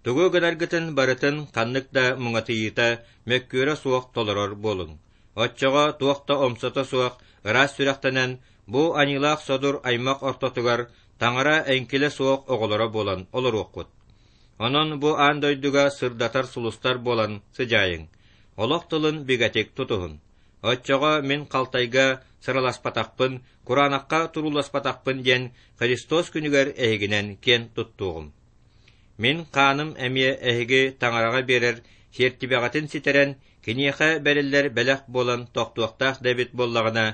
Тугу гынаргытын барытын ханнык да муҥатыйыыта, мөккүөрэ суох толорор буолуҥ. Оччоҕо туох да омсото суох ыраас сүрэхтэнэн, бу аньыылаах содур аймах ортотугар Таҥара эҥкилэ суох оҕолоро буолан олоруоххут. Онон бу аан дойдуга сырдатар сулустар буолан сыдьаайыҥ, олох тылын бигэтик тутуһун. Оччоҕо мин халтайга сыраласпатахпын, кураанахха турууласпатахпын диэн Христос күнүгэр эһигинэн киэн туттуоҕум. Мин хааным эмиэ эһиги Таҥараҕа биэрэр сиэртибэҕитин ситэрэн, киниэхэ бэриллэр бэлэх буолан тохтуохтаах да эбит буоллаҕына,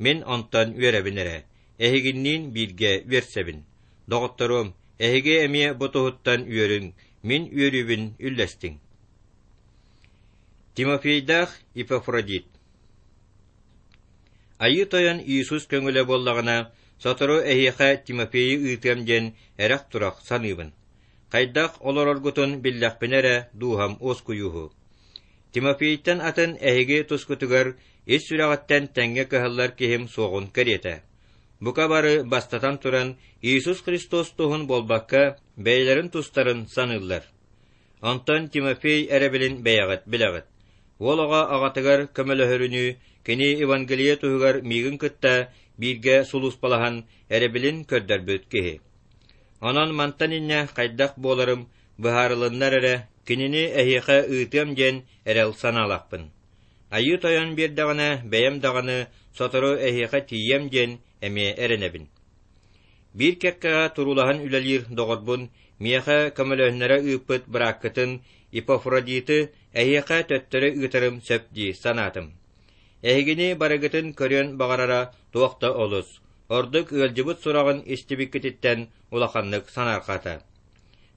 мин онтон үөрэбин эрэ, эһигинниин бииргэ үөрсэбин. Доҕотторуом, эһиги эмиэ бу туһуттан үөрүҥ, мин үөрүүбүн үллэстиҥ. Тимофейдаах Епафродит Айыы Тойон Иисус көҥүлэ буоллаҕына, сотору эһиэхэ Тимофейы ыытыам диэн эрэх-турах саныыбын. Хайдах олороргутун биллэхпинэ эрэ дууһам уоскуйууһу. Тимофейтан атын эһиги тускутугар ис сүрэҕиттэн тэҥҥэ кыһаллар киһим суоҕун кэриэтэ. Бука бары бастатан туран Иисус Христос туһун буолбакка, бэйэлэрин тустарын саныыллар. Онтон Тимофей эрэбилин бэйэҕит билэҕит. Уол оҕо аҕатыгар көмөлөһөрүнүү, кини Евангелие туһугар миигин кытта бииргэ сулууспалаһан эрэбилин көрдөрбүт киһи. Онон мантан инньэ хайдах буоларым быһаарылыннар эрэ, кинини эһиэхэ ыытыам диэн эрэл санаалаахпын. Айыы Тойон биэрдэҕинэ, бэйэм даҕаны сотору эһиэхэ тиийиэм диэн эмиэ эрэнэбин. Биир кэккэҕэ туруулаһан үлэлиир доҕорбун, миэхэ көмөлөһүннэрэ ыыппыт бырааккытын Епафродиты эһиэхэ төттөрү ыытарым сөп дии санаатым. Эһигини барыгытын көрүөн баҕарара туох да олус, ордук ыалдьыбыт сураҕын истибиккититтэн улаханнык санаарҕаата.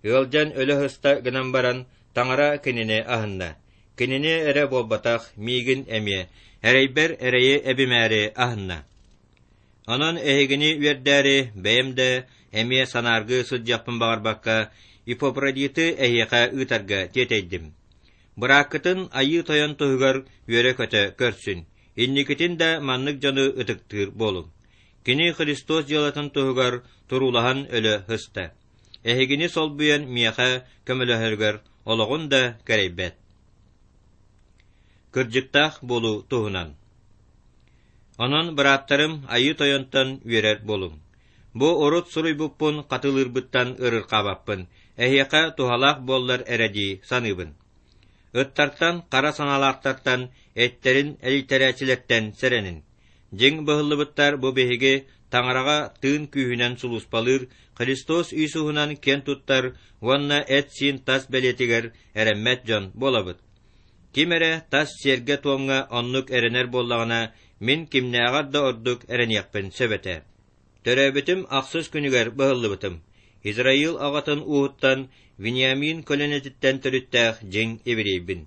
Ыалдьан өлө сыста гынан баран, Таҥара кинини аһынна. Кинини эрэ буолбатах, миигин эмиэ, эрэйбэр эрэйи эбимээри аһынна. Онон эһигини үөрдээри, бэйэм да эмиэ санааргыы сылдьыахпын баҕарбакка, Иппократиты эһиэхэ ыытарга тиэтэйдим. Бырааккытын Айыы Тойон туһугар үөрэ-көтө көрсүн, инникитин да маннык дьону ытыктыыр буолуҥ. Кини Христос дьыалатын туһугар туруулаһан өлө сыста. Эһигини солбуйан миэхэ көмөлөһөрүгэр олоҕун да кэрэйбэт. Кырдьыктаах буолуу туһунан Онон, бырааттарым, Айыы Тойонтон үөрэр буолуҥ. Бу урут суруйбуппун хатылыырбыттан ырырхаабаппын, эһиэхэ туһалаах буоллар эрэ дии саныыбын. Ыттартан, хара санаалаахтартан, эттэрин элийтэрээччилэртэн сэрэнин. Дьиҥ быһыллыбыттар бу биһиги Таҥараҕа тыын күүһүнэн сулууспалыыр Христос Иисуһунан киэн туттар уонна эт-сиин тас бэлиэтигэр эрэммэт дьон буолабыт. Ким эрэ тас сиэргэ-туомҥа оннук эрэнэр буоллаҕына, мин кимнээҕэр да ордук эрэниэхпин сөп этэ. Төрөөбүтүм ахсыс күнүгэр быһыллыбытым. Израил аҕатын ууһуттан Вениамин көлүөнэтиттэн төрүттээх дьиҥ еврейбин.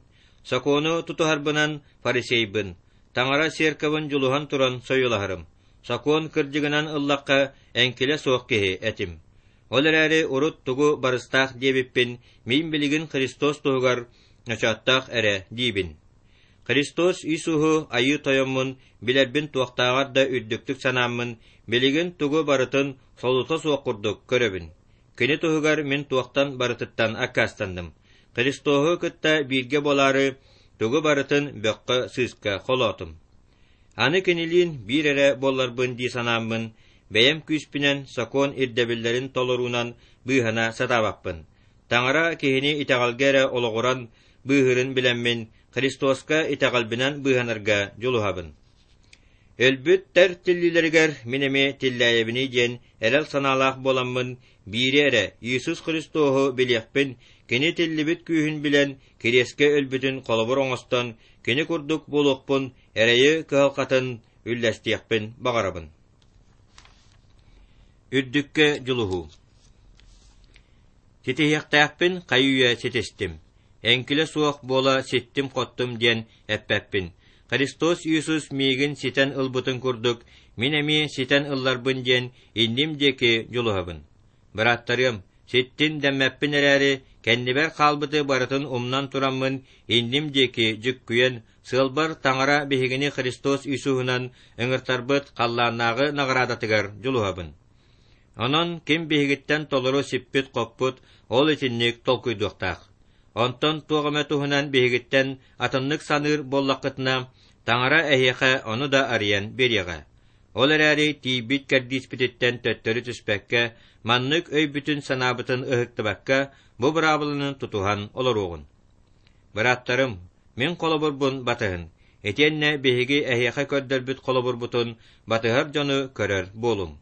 Сокуону тутуһарбынан фарисейбын, Таҥара церковын дьулуһан туран сойуолаһарым. Сокуон кырдьыгынан ыллахха, эҥкилэ суох киһи этим. Ол эрээри урут тугу барыстаах диэбиппин мин билигин Христос туһугар ночооттоох эрэ диибин. Христос Иисуһу Айыы Тойоммун билэрбин туохтааҕар да үрдүктүк санааммын, билигин тугу барытын солута суох курдук көрөбүн. Кини туһугар мин туохтан барытыттан аккаастанным. Христоһу кытта бииргэ буолаары тугу барытын бөххө-сыыска холоотум. Аны кинилиин биир эрэ буолларбын дии санааммын, бэйэм күүспүнэн сокуон ирдэбиллэрин толоруунан быыһана сатаабаппын. Таҥара киһини итэҕэлгэ эрэ олоҕуран быыһыырын билэммин, Христоска итэҕэлбинэн быыһанарга дьулуһабын. Өлбүттэр тиллиилэригэр мин эмиэ тиллээйэбиний диэн эрэл санаалаах буоламмын, биири эрэ Иисус Христоһу билиэхпин, Кини тиллибит күүһүн билэн, кириэскэ өлбүтүн холобур оҥостон, Кини курдук буолуохпун, эрэйи кыһалҕатын үллэстиэхпин баҕарабын. Үрдүккэ дьулуһуу Ситиһиэхтээхпин хайы-үйэ ситистим. Эҥкилэ суох буола ситтим-хоттум диэн эппэппин. Христос Иисус миигин ситэн ылбытын курдук, мин эмиэ ситэн ылларбын диэн инним диэки дьулуһабын. Бырааттарыам, ситтин дэммэппин эрээри, кэннибэр хаалбыты барытын умнан тураммын, инним диэки дьүккүйэн, сыалбар Таҥара биһигини Христос Иисуһунан ыҥыртарбыт халлааннааҕы наҕараадатыгар дьулуһабын. Онон ким биһигиттэн толору сиппит-хоппут, ол итинник толкуйдуохтаах. Онтон туох эмэ туһунан биһигиттэн атыннык саныыр буоллаххытына, Таҥара эһиэхэ ону да арыйан биэриэҕэ. Ол эрээри тиийбит кэрдииспититтэн төттөрү түспэккэ, маннык өйбүтүн-санаабытын ыһыктыбакка, бу быраабыланы тутуһан олоруоҕун. Бырааттарым, мин холобурбун батыһын, итиэннэ биһиги эһиэхэ көрдөрбүт холобурбутун батыһар дьону көрөр буолуҥ.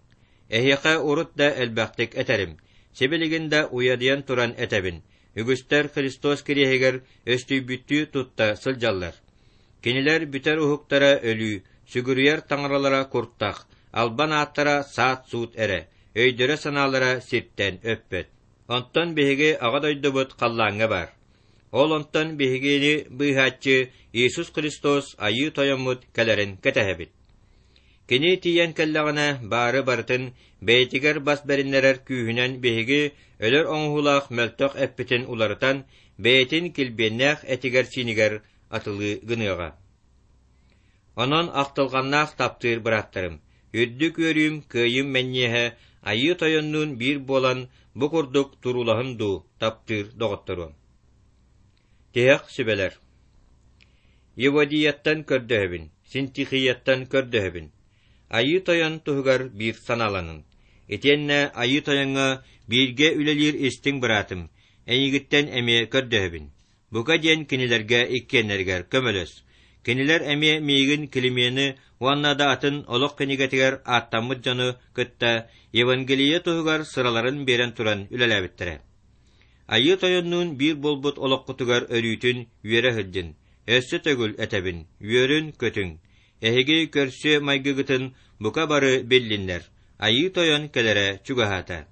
Эһиэхэ урут да элбэхтик этэрим, сибилигин да уйадыйан туран этэбин, үгүстэр Христос кириэһигэр өстүйбүттүү тутта сылдьаллар. Кинилэр бүтэр уһуктара өлүү, сүгүрүйэр таҥаралара куртах, албан ааттара саат-суут эрэ, өйдөрө-санаалара сиртэн өппөт. Онтон биһиги Аҕа дойдубут халлааҥҥа баар. Ол онтон биһигини быыһааччы Иисус Христос Айыы Тойоммут кэлэрин кэтэһэбит. Кини тиийэн кэллэҕинэ, баары барытын бэйэтигэр бас бэриннэрэр күүһүнэн биһиги өлөр оҥоһуулаах мөлтөх эппитин уларытан, бэйэтин килбиэннээх этигэр-сиинигэр атылыы гыныаҕа. Онон ахтылҕаннаах таптыыр бырааттарым, үрдүк үөрүүм, кыайыым мэнньиэһэ Айыы Тойоннуун биир буолан бу курдук туруулаһын дуу, таптыыр доҕотторуом. Тиһэх сүбэлэр Еводияттан көрдөһөбүн, Синтихияттан көрдөһөбүн. Айыы Тойон туһугар биир санааланын. Итиэннэ Айыы Тойоҥҥо бииргэ үлэлиир истиҥ быраатым, эйигиттэн эмиэ көрдөһөбүн. Бука диэн кинилэргэ иккиэннэригэр көмөлөс. Кинилэр эмиэ миигин Климени уонна да атын олох кинигэтигэр ааттаммыт дьону кытта Евангелие туһугар сыраларын биэрэн туран үлэлээбиттэрэ. Айыы Тойоннуун биир буолбут олоххутугар өрүүтүн үөрэ сылдьын, өссө төгүл этэбин, үөрүн-көтүҥ. Эһиги көрсүө майгыгытын бука бары биллиннэр, Айыы Тойон кэлэрэ чугаһаата.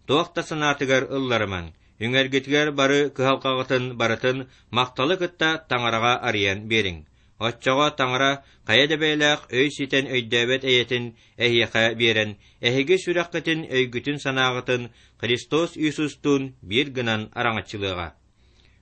Туох да санаатыгар ылларымаҥ, үҥэргитигэр бары кыһалҕаҕытын барытын махталы кытта Таҥараҕа арыйан биэриҥ. Оччоҕо Таҥара хайа да бэйэлээх өй ситэн өйдөөбөт эйэтин эһиэхэ биэрэн, эһиги сүрэххитин өйгүтүн-санааҕытын Христос Иисустуун биир гынан араҥаччылыаҕа.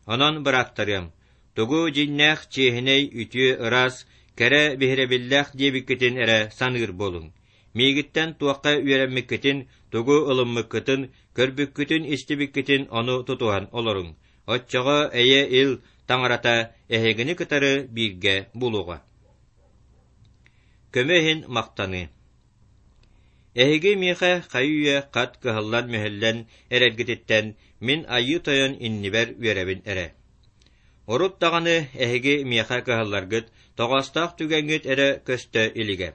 Онон, бырааттарыам, тугу дьиҥнээх, чиэһинэй, үтүө, ыраас, кэрэ, биһирэбиллээх диэбиккитин эрэ саныыр буолуҥ. Миигиттэн туохха үөрэммиккитин, тугу ылыммыккытын, көрбүккүтүн-истибиккитин ону тутуһан олоруҥ. Оччоҕо эйэ-ил Таҥарата эһигини кытары бииргэ буолуоҕа. Көмө иһин махтаныы Эһиги миэхэ хайы-үйэ хат кыһаллан-мүһэллэн эрэргититтэн мин Айыы Тойон иннибэр үөрэбин эрэ. Урут даҕаны эһиги миэхэ кыһалларгыт тоҕоостоох түгэҥҥит эрэ көстө илигэ.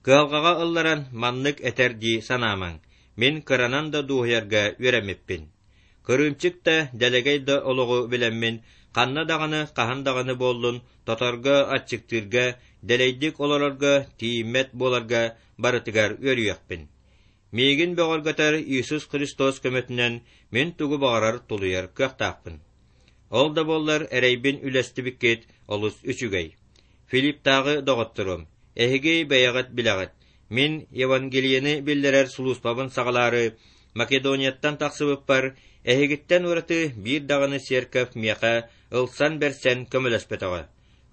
Кыһалҕаҕа ылларан маннык этэр дии санаамаҥ, мин кыранан да дуоһуйарга үөрэммиппин. Кырыымчык да, дэлэгэй да олоҕу билэммин, ханна даҕаны, хаһан даҕаны буоллун, тоторго, аччыктыырга, дэлэйдик олорорго, тиийиммэт буоларга барытыгар үөрүйэхпин. Миигин бөҕөргөтөр Иисус Христос көмөтүнэн мин тугу баҕарар тулуйар кыахтаахпын. Ол да буоллар эрэйбин үллэстибиккит олус үчүгэй. Филипптааҕы доҕотторум, эһиги бэйэҕит билэҕит, мин Евангелиены биллэрэр сулууспабын саҕалаары Македонияттан тахсыбыппар, эһигиттэн ураты биир даҕаны церковь миэхэ ылсан-бэрсэн көмөлөспөтөҕө.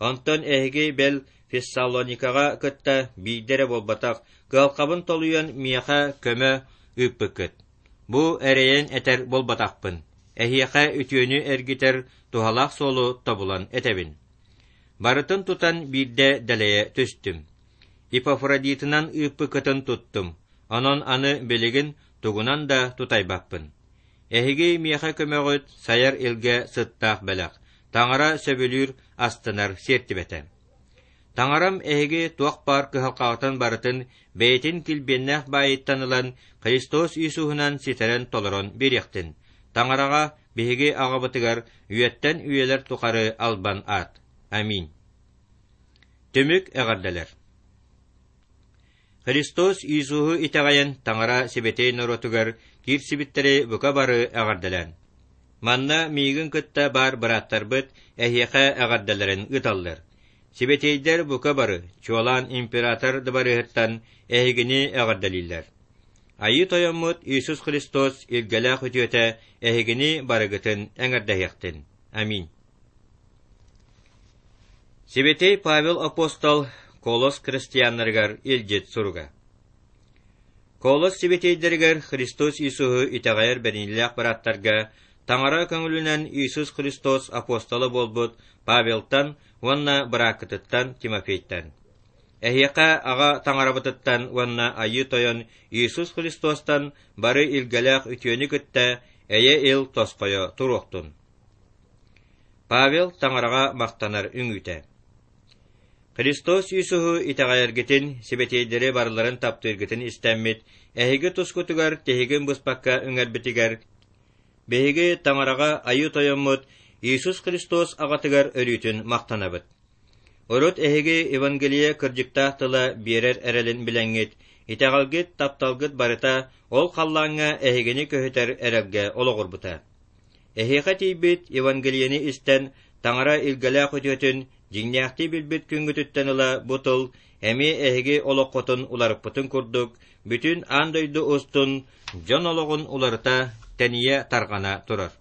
Онтон эһиги бэл Фессалоникаҕа кытта биирдэ эрэ буолбатах, кыһалҕабын толуйан миэхэ көмө ыыппыккыт. Бу эрэйэн этэр буолбатахпын, эһиэхэ үтүөнү эргитэр туһалаах суолу тобулан этэбин. Барытын тутан биирдэ дэлэйэ түстүм. Епафродитынан ыыппыккытын туттум, онон аны билигин тугунан да тутайбаппын. Эһиги миэхэ көмөҕүт сайар илгэ сыттаах бэлэх, Таҥара сөбүлүүр, астынар сиэртибэтэ. Таҥарам эһиги туох баар кыһалҕаҕытын барытын бэйэтин килбиэннээх баайыттан ылан Христос Иисуһунан ситэрэн-толорон биэриэхтин. Таҥараҕа биһиги аҕабытыгар үйэттэн үйэлэр тухары албан аат. Аминь. Түмүк эҕэрдэлэр. Христос Иисуһу итэҕэйэн Таҥара сибэтиэй норуотугар киирсибиттэри бука бары эҕэрдэлээн. Манна миигин кытта баар бырааттарбыт эһиэхэ эҕэрдэлэрин ыыталлар. Сибэтиэйдэр бука бары, чуолаан император дыбарыаһыттан эһигини эҕэрдэлииллэр. Айыы Тойоммут Иисус Христос илгэлээх үтүөтэ эһигини барыгытын эҥэрдэһиэхтин. Аминь. Сибэтиэй Павел апостол Колос христианнарыгар илдьит суруга. Колос сибэтиэйдэригэр Христос Иисуһу итэҕэйэр бэриниилээх бырааттарга Таҥара көҥүлүнэн Иисус Христос апостола буолбут Павелтан уонна бырааккытыттан Тимофейтан. Эһиэхэ Аҕа Таҥарабытыттан уонна Айыы Тойон Иисус Христостан бары илгэлээх үтүөнү кытта эйэ-ил тосхойо туруохтун. Павел Таҥараҕа махтанар үҥүүтэ Христос Иисуһу итэҕэйэргитин, сибэтиэйдэри барыларын таптыыргытын истэммит, эһиги тускутугар тиһигин быспакка үҥэрбитигэр, биһиги Таҥараҕа Айыы Тойоммут Иисус Христос аҕатыгар өрүүтүн махтанабыт. Урут эһиги Евангелие кырдьыктаах тыла биэрэр эрэлин билэҥҥит, итэҕэлгит, тапталгыт барыта ол халлааҥҥа эһигини көһүтэр эрэлгэ олоҕурбута. Эһиэхэ тиийбит Евангелиены истэн, Таҥара илгэлээх үтүөтүн дьиҥнээхтии билбит күҥҥүтүттэн ыла бу тыл эмиэ эһиги олоххутун уларыппытын курдук, бүтүн аан дойду устун дьон олоҕун уларыта, тэнийэ тарҕана турар.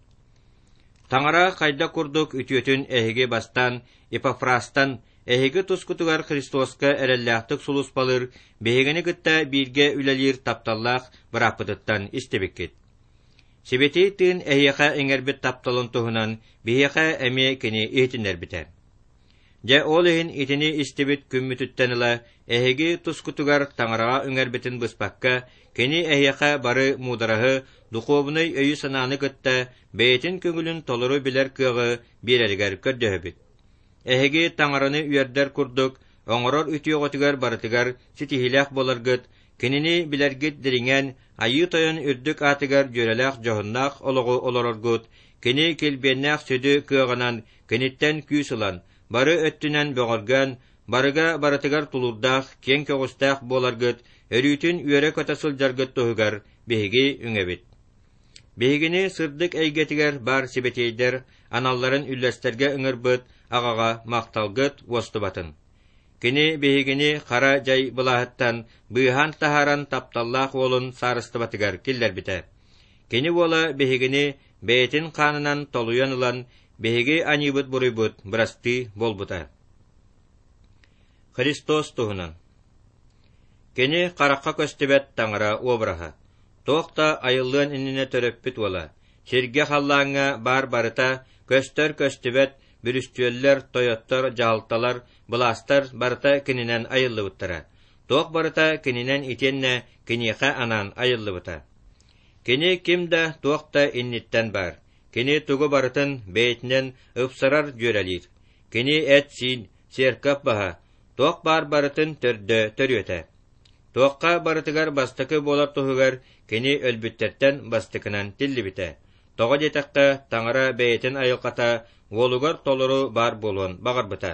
Таҥара хайдах курдук үтүөтүн эһиги бастаан Епафрастан, эһиги тускутугар Христоска эрэллээхтик сулууспалыыр, биһигини кытта бииргэ үлэлиир тапталлаах бырааппытыттан истибиккит. Сибэтиэй Тыын эһиэхэ иҥэрбит тапталын туһунан биһиэхэ эмиэ кини иһитиннэрбитэ. Дьэ, ол иһин итини истибит күммүтүттэн ыла эһиги тускутугар Таҥараҕа үҥэрбитин быспакка, кини эһиэхэ бары муудараһы, духуобунай өйү-санааны кытта бэйэтин көҥүлүн толору билэр кыаҕы биэрэригэр көрдөһөбүт. Эһиги Таҥараны үөрдэр курдук оҥорор үтүөҕүтүгэр барытыгар ситиһиилээх буоларгыт, кинини билэргит дириҥээн, Айыы Тойон үрдүк аатыгар дьүөрэлээх дьоһуннаах олоҕу олороргут, кини килбиэннээх сүдү кыаҕынан киниттэн күүс ылан, бары өттүнэн бөҕөргөөн, барыга барытыгар тулуурдаах, киэҥ көҕүстээх буоларгыт, өрүүтүн үөрэ-көтө сылдьаргыт туһугар биһиги үҥэбит. Биһигини сырдык эйгэтигэр баар сибэтиэйдэр аналларын үллэстэргэ ыҥырбыт аҕаҕа махталгыт уостубатын. Кини биһигини хара дьай былааһыттан быыһаан таһааран тапталлаах уолун саарыстыбатыгар киллэрбитэ. Кини уола биһигини бэйэтин хаанынан толуйан ылан, биһиги аньыыбыт-буруйбут бырастыы буолбута. Христос туһунан Кини харахха көстүбэт таҥара обраһа, туох да айыллыан иннинэ төрөппүт уола, сиргэ-халлааҥҥа баар барыта көстөр-көстүбэт бүрүстүөллэр, тойоттор, дьаһалталар, былаастар барыта кининэн айыллыбыттара, туох барыта кининэн итиэннэ киниэхэ анаан айыллыбыта. Кини ким да, туох да инниттэн баар, кини тугу барытын бэйэтинэн ыпсарар дьүөрэлиир, кини эт-сиин, церковь баһа, туох баар барытын төрдө төрүөтэ. Туохха барытыгар бастакы буолар туһугар кини өлбүттэртэн бастакынан тиллибитэ. Тоҕо диэтэххэ, Таҥара бэйэтин айылҕата уолугар толору баар буолуон баҕарбыта.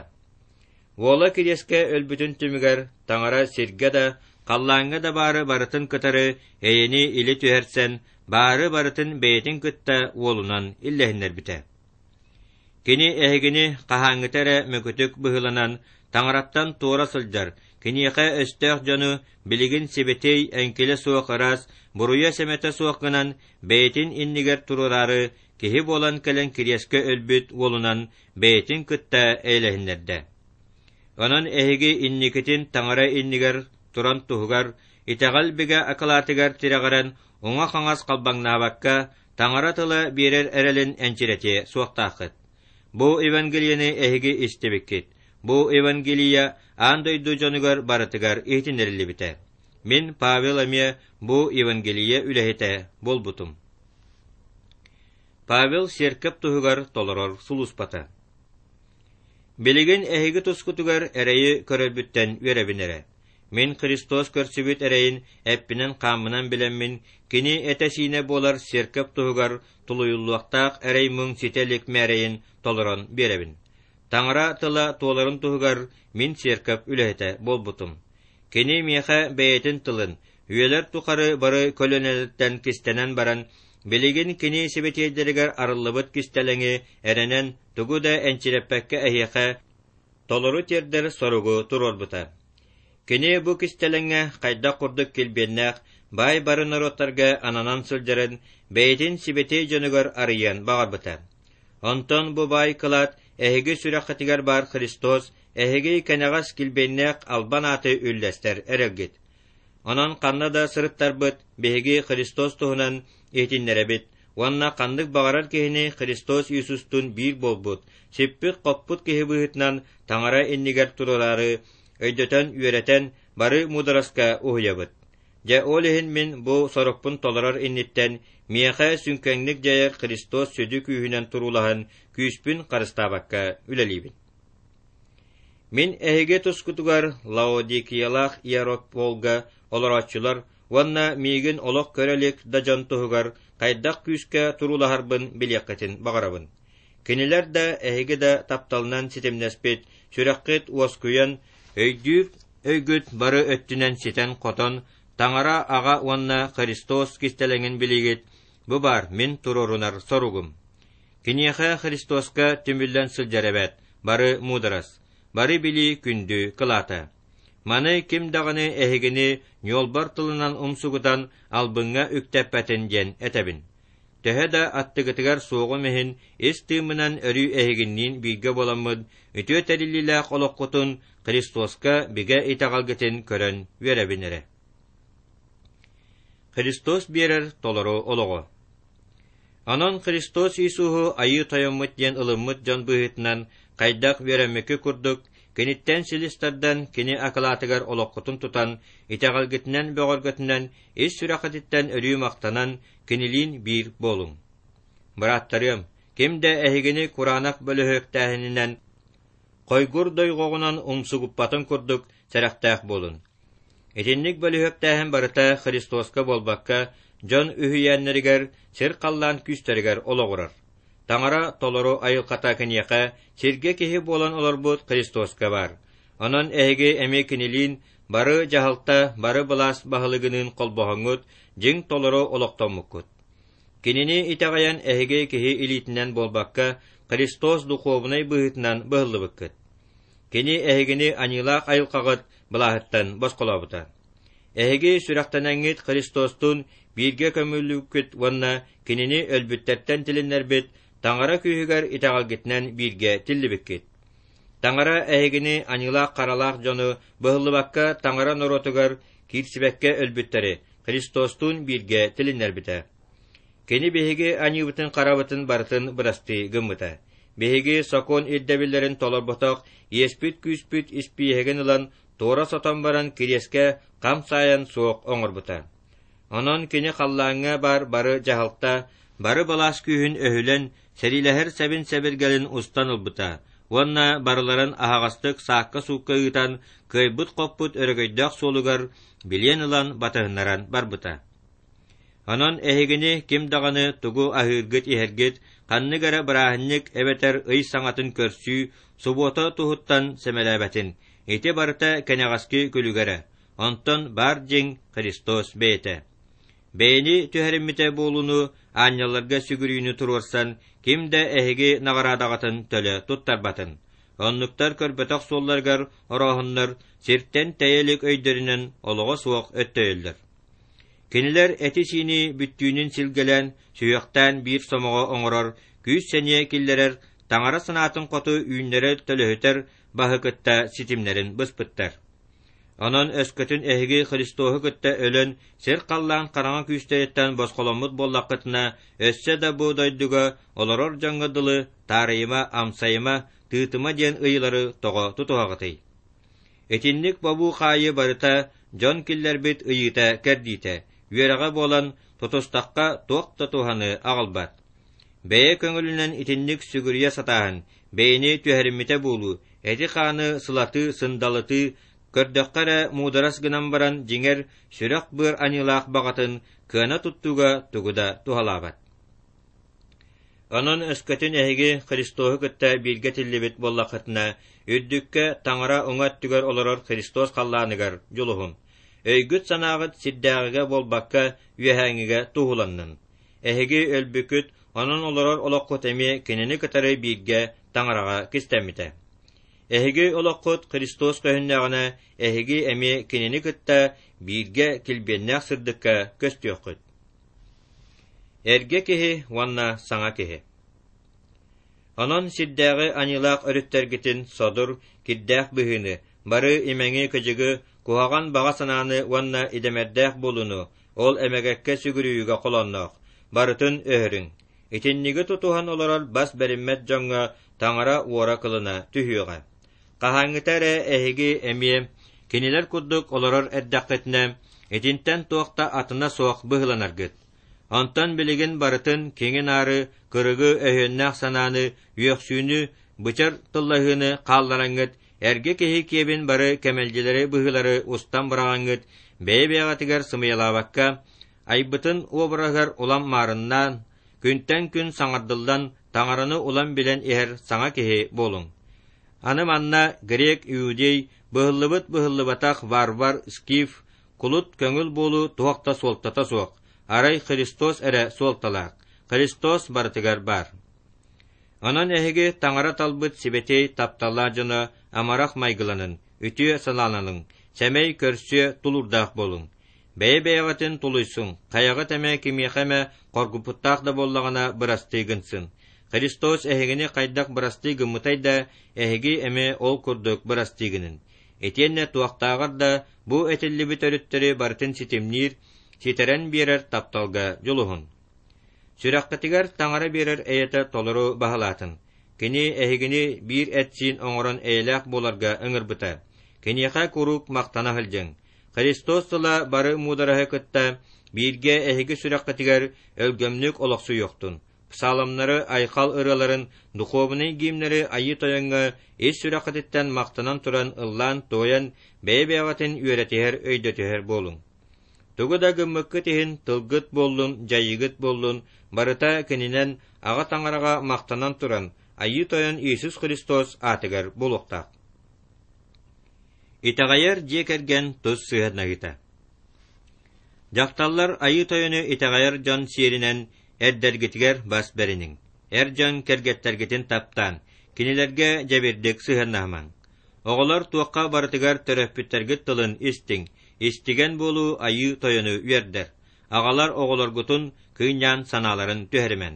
Уола кириэскэ өлбүтүн түмүгэр Таҥара сиргэ да, халлааҥҥа да баары барытын кытары эйэни илэ түһэрсэн, баары барытын бэйэтин кытта уолунан иллэһиннэрбитэ. Кини эһигини хаһааҥҥыта эрэ мөкүтүк быһыыланан, Таҥараттан туора сылдьар, киниэхэ өстөөх дьону билигин сибэтиэй эҥкилэ суох ыраас, буруйа-сэмэтэ суох гынан, бэйэтин иннигэр туруораары, киһи буолан кэлэн кириэскэ өлбүт уолунан бэйэтин кытта эйэлэһиннэрдэ. Онон эһиги инникитин Таҥара иннигэр туран туһугар, итэҕэл бигэ акылаатыгар тирэҕирэн, уҥа-хаҥас халбаҥнаабакка, Таҥара тыла биэрэр эрэлин энчирэтиэ суохтааххыт. Бу Евангелиены эһиги истибиккит. Бу Евангелие аан дойду дьонугар барытыгар иһитиннэриллибитэ. Мин, Павел эмиэ бу Евангелие үлэһитэ буолбутум. Павел сиэркэп туһугар толорор сулууспата. Билигин эһиги тускутугар эрэйи көрөрбүттэн үөрэбин эрэ. Мин Христос көрсүбүт эрэйин эппинэн-хааммынан билэммин, кини этэ-сиинэ буолар сиэркэп туһугар тулуйуллуохтаах эрэй-муҥ ситэ илик мээрэйин толорон биэрэбин. Таҥара тыла туоларын туһугар мин сиэркэп үлэһитэ буолбутум. Кини миэхэ бэйэтин тылын, үйэлэр тухары бары көлүөнэлэртэн кистэнэн баран, билигин кини сибэтиэйдэригэр арыллыбыт кистэлэҥи эрэнэн тугу да энчирэппэккэ эһиэхэ толору тиэрдэр соругу туруорбута. Кини бу кистэлэҥҥэ хайдах курдук килбиэннээх баай бары норуоттарга ананан сылдьарын бэйэтин сибэтиэй дьонугар арыйыан баҕарбыта. Онтон бу баай кылаат эһиги сүрэххитигэр баар Христос эһиги кэнэҕэс килбиэннээх албан ааты үллэстэр эрэлгит. Онон ханна да сырыттарбыт, биһиги Христос туһунан иһитиннэрэбит уонна ханнык баҕарар киһини Христос Иисустуун биир буолбут, сиппит-хоппут киһи быһыытынан Таҥара иннигэр туруораары өйдөтөн үөрэтэн бары муудараска уһуйабыт. Дьэ ол иһин мин бу сорукпун толорор инниттэн миэхэ сүҥкэҥник дьайар Христос сүдү күүһүнэн туруулаһан күүспүн харыстаабакка үлэлиибин. Мин эһиги тускутугар Лаодикиялаах Иерополга олорооччулар уонна миигин олох көрө илик да дьон туһугар хайдах күүскэ туруулаһарбын билиэххитин баҕарабын. Кинилэр да, эһиги да тапталынан ситимнэспит, сүрэххит уоскуйан, өйдүүр өйгүт бары өттүнэн ситэн-хотон, Таҥара Аҕа уонна Христос кистэлэҥин билигит, бу баар мин туруорунар соругум. Киниэхэ Христоска түмүллэн сылдьар эбээт, бары муударас, бары билии күндү кылаата. Маны ким даҕаны эһигини ньуолбар тылынан умсугутан албыҥҥа үктэппэтин диэн этэбин. Төһө да аттыгытыгар суоҕум иһин, ис тыыммынан өрүү эһигинниин бииргэ буоламмыт үтүө тэриллиилээх олоххутун Христоска бигэ итэҕэлгитин көрөн үөрэбин эрэ. Христос биэрэр толору олоҕу. Онон Христос Иисуһу Айыы Тойоммут диэн ылыммыт дьон быһыытынан хайдах үөрэммиккит курдук, киниттэн силис тардан, кини акылаатыгар олоххутун тутан, итэҕэлгитинэн бөҕөргөтүнэн, ис сүрэххититтэн өрүү махтанан, кинилиин биир буолуҥ. Бырааттарыам, ким да эһигини кураанах бөлөһүөктээһининэн, хойгур дойҕоҕунан умсугуппатын курдук сэрэхтээх буолун. Итинник бөлүһүөктээһин барыта Христоска буолбакка, дьон үһүйээннэригэр, сир-халлаан күүстэригэр олоҕурар. Таҥара толору айылҕата киниэхэ сиргэ киһи буолан олорбут Христоска баар. Онон эһиги эмиэ кинилиин бары дьаһалта, бары былаас баһылыгыныын холбоһоҥҥут, дьиҥ толору олохтоммуккут. Кинини итэҕэйэн эһиги киһи илиитинэн буолбакка, Христос духуобунай быһыытынан быһыллыбыккыт. Кини эһигини аньыылаах айылҕаҕыт былааһыттан босхолообута. Эһиги сүрэхтэнэҥҥит Христостуун бииргэ көмүллүккүт уонна Кинини өлбүттэртэн тилиннэрбит Таҥара күүһүгэр итэҕэлгитинэн бииргэ тиллибиккит. Таҥара эһигини аньыылаах-харалаах дьону быһыллыбакка Таҥара норуотугар киирсибэккэ өлбүттэри Христостуун бииргэ тилиннэрбитэ. Кини биһиги аньыыбытын-харабытын барытын бырастыы гыммыта. Биһиги сокуон ирдэбиллэрин толорботох иэспит-күүспүт испииһэгин ылан туора сотон баран кириэскэ хам саайан суох оҥорбута. Онон кини халлааҥҥа баар бары дьаһалта, бары былаас күүһүн өһүлэн, сэриилэһэр сэбин-сэбиргэлин устан ылбыта. Уонна барыларын аһаҕастык саакка-суукка ыытан, кыайбыт-хоппут өрөгөйдөөх суолугар билиэн ылан батыһыннаран барбыта. Онон эһигини ким даҕаны тугу аһыыргыт-иһэргит, ханнык эрэ бырааһынньык эбэтэр ый саҥатын көрсүү, субуота туһуттан сэмэлээбэтин, ити барыта кэнэҕэски күлүгэрэ, онтон баар дьиҥ Христос бэйэтэ. Бэйэни түһэриммитэ буолууну аанньалларга сүгүрүйүүнү туруорсан, ким да эһиги наҕараадаҕытын төлө туттарбатын. Оннуктар көрбөтөх суолларыгар орооһуннар сиртэн тэйэ илик өйдөрүнэн олоҕо суох өттөйөллөр. Кинилэр эти-сиини бүттүүнүн силгэлээн, сүһүөхтээн биир сомоҕо оҥорор, күүс-сэниэ киллэрэр, таҥара санаатын хоту үүннэрэр-төлөһүтэр баһы кытта ситимнэрин быспыттар. Онон өскөтүн эһиги Христоһу кытта өлөн, сир-халлаан хараҥа күүстэриттэн босхоломмут буоллаххытына, өссө да бу дойдуга олорор дьоҥҥо дылы таарыйыма, амсайыма, тыытыма диэн ыйыылары тоҕо тутуһаҕытый? Итинник бобуу-хаайыы барыта дьон киллэрбит ыйыыта-кэрдиитэ, үөрэҕэ буолан, тутустахха туох да туһаны аҕалбат. Бэйэ көҥүлүнэн итинник сүгүрүйэ сатааһын, бэйэни түһэриммитэ буолуу, эти-хааны сылатыы-сындалытыы, көрдөххө эрэ муударас гынан баран дьиҥэр сүрэх-быар аньыылаах баҕатын кыана туттууга тугу да туһалаабат. Онон өскөтүн эһиги Христоһу кытта бииргэ тиллибит буоллаххытына, үрдүккэ Таҥара уҥа өттүгэр олорор Христос халлааныгар дьулуһуҥ. Өйгүт-санааҕыт сирдээҕигэ буолбакка, үөһээҥҥигэ туһуланнын. Эһиги өлбүккүт, онон олорор олоххут эмиэ кинини кытары бииргэ Таҥараҕа кистэммитэ. Эһиги олоххут Христос көһүннэҕинэ, эһиги эмиэ кинини кытта бииргэ килбиэннээх сырдыкка көстүөххүт. Эргэ киһи уонна саҥа киһи Онон сирдээҕи аньыылаах өрүттэргитин содур, кирдээх быһыыны, бары имэҥи-кыдьыгы, куһаҕан баҕа санааны уонна идэмэрдээх буолууну, ол эмэгэккэ сүгүрүйүүгэ холоонноох, барытын өһөрүҥ. Итинниги тутуһан олорор бас бэриммэт дьоҥҥо таҥара уора-кылына түһүөҕэ. Хаһааҥҥыта эрэ эһиги эмиэ кинилэр курдук олорор эрдэххитинэ, итинтэн туох да атына суох быһыыланаргыт. Онтон билигин барытын киҥи-наары, кырыгы өһүөннээх санааны, үөхсүүнү, бычар тыллаһыыны хааллараҥҥыт, эргэ киһи киэбин бары кэмэлдьилэри быһыылары устан быраҕаҥҥыт, бэйэ-бэйэҕитигэр сымыйалаабакка, айбытын уобараһыгар улам маарыннаан, күнтэн күн саҥардыллан, таҥараны улам билэн иһэр саҥа киһи буолуҥ. Аны манна грек, иудей, быһыллыбыт быһыллыбатах варвар, скиф, кулут көҥүл буолуу туох да суолтата суох, арай Христос эрэ суолталаах, Христос барытыгар баар. Онон эһиги Таҥара талбыт сибэтиэй тапталлаах дьоно амарах майгыланын, үтүө санааланыҥ, сэмэй көрсүө тулуурдаах буолуҥ. Бэйэ-бэйэҕитин тулуйсуҥ, хайаҕыт эмэ кимиэхэ эмэ хоргуппуттаах да буоллаҕына бырастыы гынсын. Христос эһигини хайдах бырастыы гыммытай да, эһиги эмиэ ол курдук бырастыы гыныҥ. Итиэннэ туохтааҕар да бу этиллибит өрүттэри барытын ситимниир, ситэрэн биэрэр тапталга дьулуһун. Сүрэххитигэр Таҥара биэрэр эйэтэ толору баһылаатын. Кини эһигини биир эт-сиин оҥорон эйэлээх буоларга ыҥырбыта. Киниэхэ куруук махтана сылдьыҥ. Христос тыла бары муудараһы кытта бииргэ эһиги сүрэххитигэр өлгөмнүк олохсуйуохтун. Псаломнары, айхал ырыаларын, духуобунай гимнэри Айыы Тойоҥҥо ис сүрэххититтэн махтанан туран ыллаан-туойан, бэйэ-бэйэҕитин үөрэтиһэр, өйдөтүһэр буолуҥ. Тугу да гыммыккыт иһин тылгыт буоллун, дьайыыгыт буоллун, барыта кининэн Аҕа Таҥараҕа махтанан туран, Айыы Тойон Иисус Христос аатыгар буолуохтаах. Итэҕэйэр дьиэ кэргэн тус сыһыаннаһыыта. Дьахталлар Айыы Тойону итэҕэйэр дьон сиэринэн эрдэргитигэр бас бэриниҥ. Эр дьон кэргэттэргитин таптаан, кинилэргэ дьэбирдик сыһыаннаһымаҥ. Оҕолор туохха барытыгар төрөппүттэргит тылын истиҥ, истигэн буолуу Айыы Тойону үөрдэр. Аҕалар оҕолоргутун кыынньаан санааларын түһэримэҥ.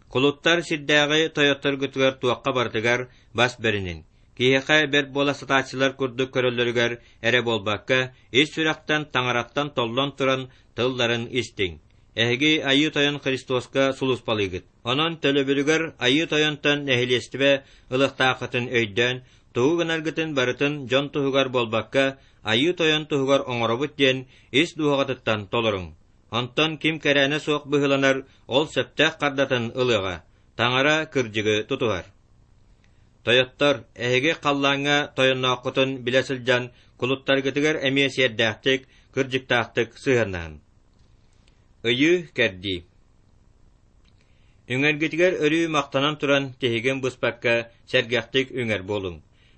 Кулуттар сирдээҕи тойотторгутугар туохха барытыгар бас бэриниҥ. Киһиэхэ бэрт буола сатааччылар курдук көрөллөрүгэр эрэ буолбакка, ис сүрэхтэн таҥараттан толлон туран тылларын истиҥ. Эһиги Айыы Тойон Христоска сулууспалыыгыт. Онон төлөбүрүгэр Айыы Тойонтон нэһилиэстибэ ылыахтааххытын өйдөөн, тугу гынаргытын барытын дьон туһугар буолбакка, Айыы Тойон туһугар оҥоробут диэн ис дууһаҕытыттан толоруҥ. Онтон ким кэрээнэ суох быһыыланар, ол сөптөөх хардатын ылыаҕа, Таҥара кырдьыгы тутуһар. Тойоттор, эһиги халлааҥҥа тойоннооххутун билэ сылдьан, кулуттаргытыгар эмиэ сиэрдээхтик, кырдьыктаахтык сыһыаннаһыҥ. Ыйыы-кэрдии Үҥэргитигэр өрүү махтанан туран тиһигин быспакка сэргэхтик үҥэр буолуҥ.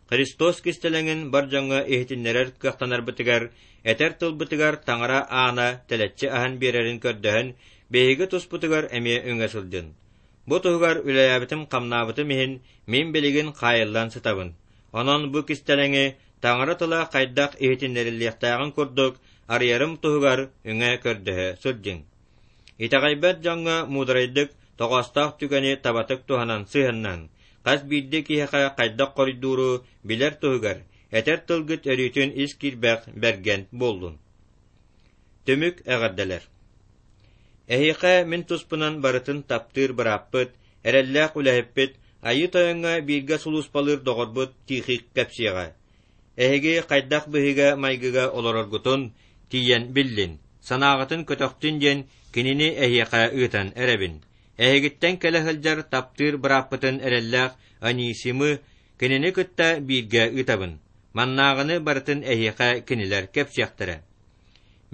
Христос кистэлэҥин бар дьоҥҥо иһитиннэрэр кыахтанарбытыгар, этэр тылбытыгар Таҥара аана тэлэччи аһан биэрэрин көрдөһөн, биһиги туспутугар эмиэ үҥэ сылдьын. Бу туһугар үлэлээбитим-хамнаабытым иһин мин билигин хаайыллан сытабын. Онон бу кистэлэҥи Таҥара тыла хайдах иһитиннэриллиэхтээҕин курдук арыйарым туһугар үҥэ көрдөһө сылдьыҥ. Итэҕэйбэт дьоҥҥо муударайдык, тоҕоостоох түгэни табатык туһанан сыһыаннаһыҥ. Хас биирдии киһиэхэ хайдах хоруйдууру билэр туһугар, этэр тылгыт өрүүтүн ис киирбэх бэргэн буоллун. Түмүк эҕэрдэлэр. Эһиэхэ мин туспунан барытын таптыыр бырааппыт, эрэллээх үлэһиппит, Айыы Тойоҥҥо бииргэ сулууспалыыр доҕорбут Тихик кэпсиэҕэ. Эһиги хайдах быһыыга-майгыга олороргутун тиийэн биллин, санааҕытын көтөхтүн диэн кинини эһиэхэ ыытан эрэбин. Эһигиттэн кэлэ сылдьар таптыыр бырааппытын эрэллээх Анисимы кинини кытта бииргэ ыытабын. Маннааҕыны барытын эһиэхэ кинилэр кэпсиэхтэрэ.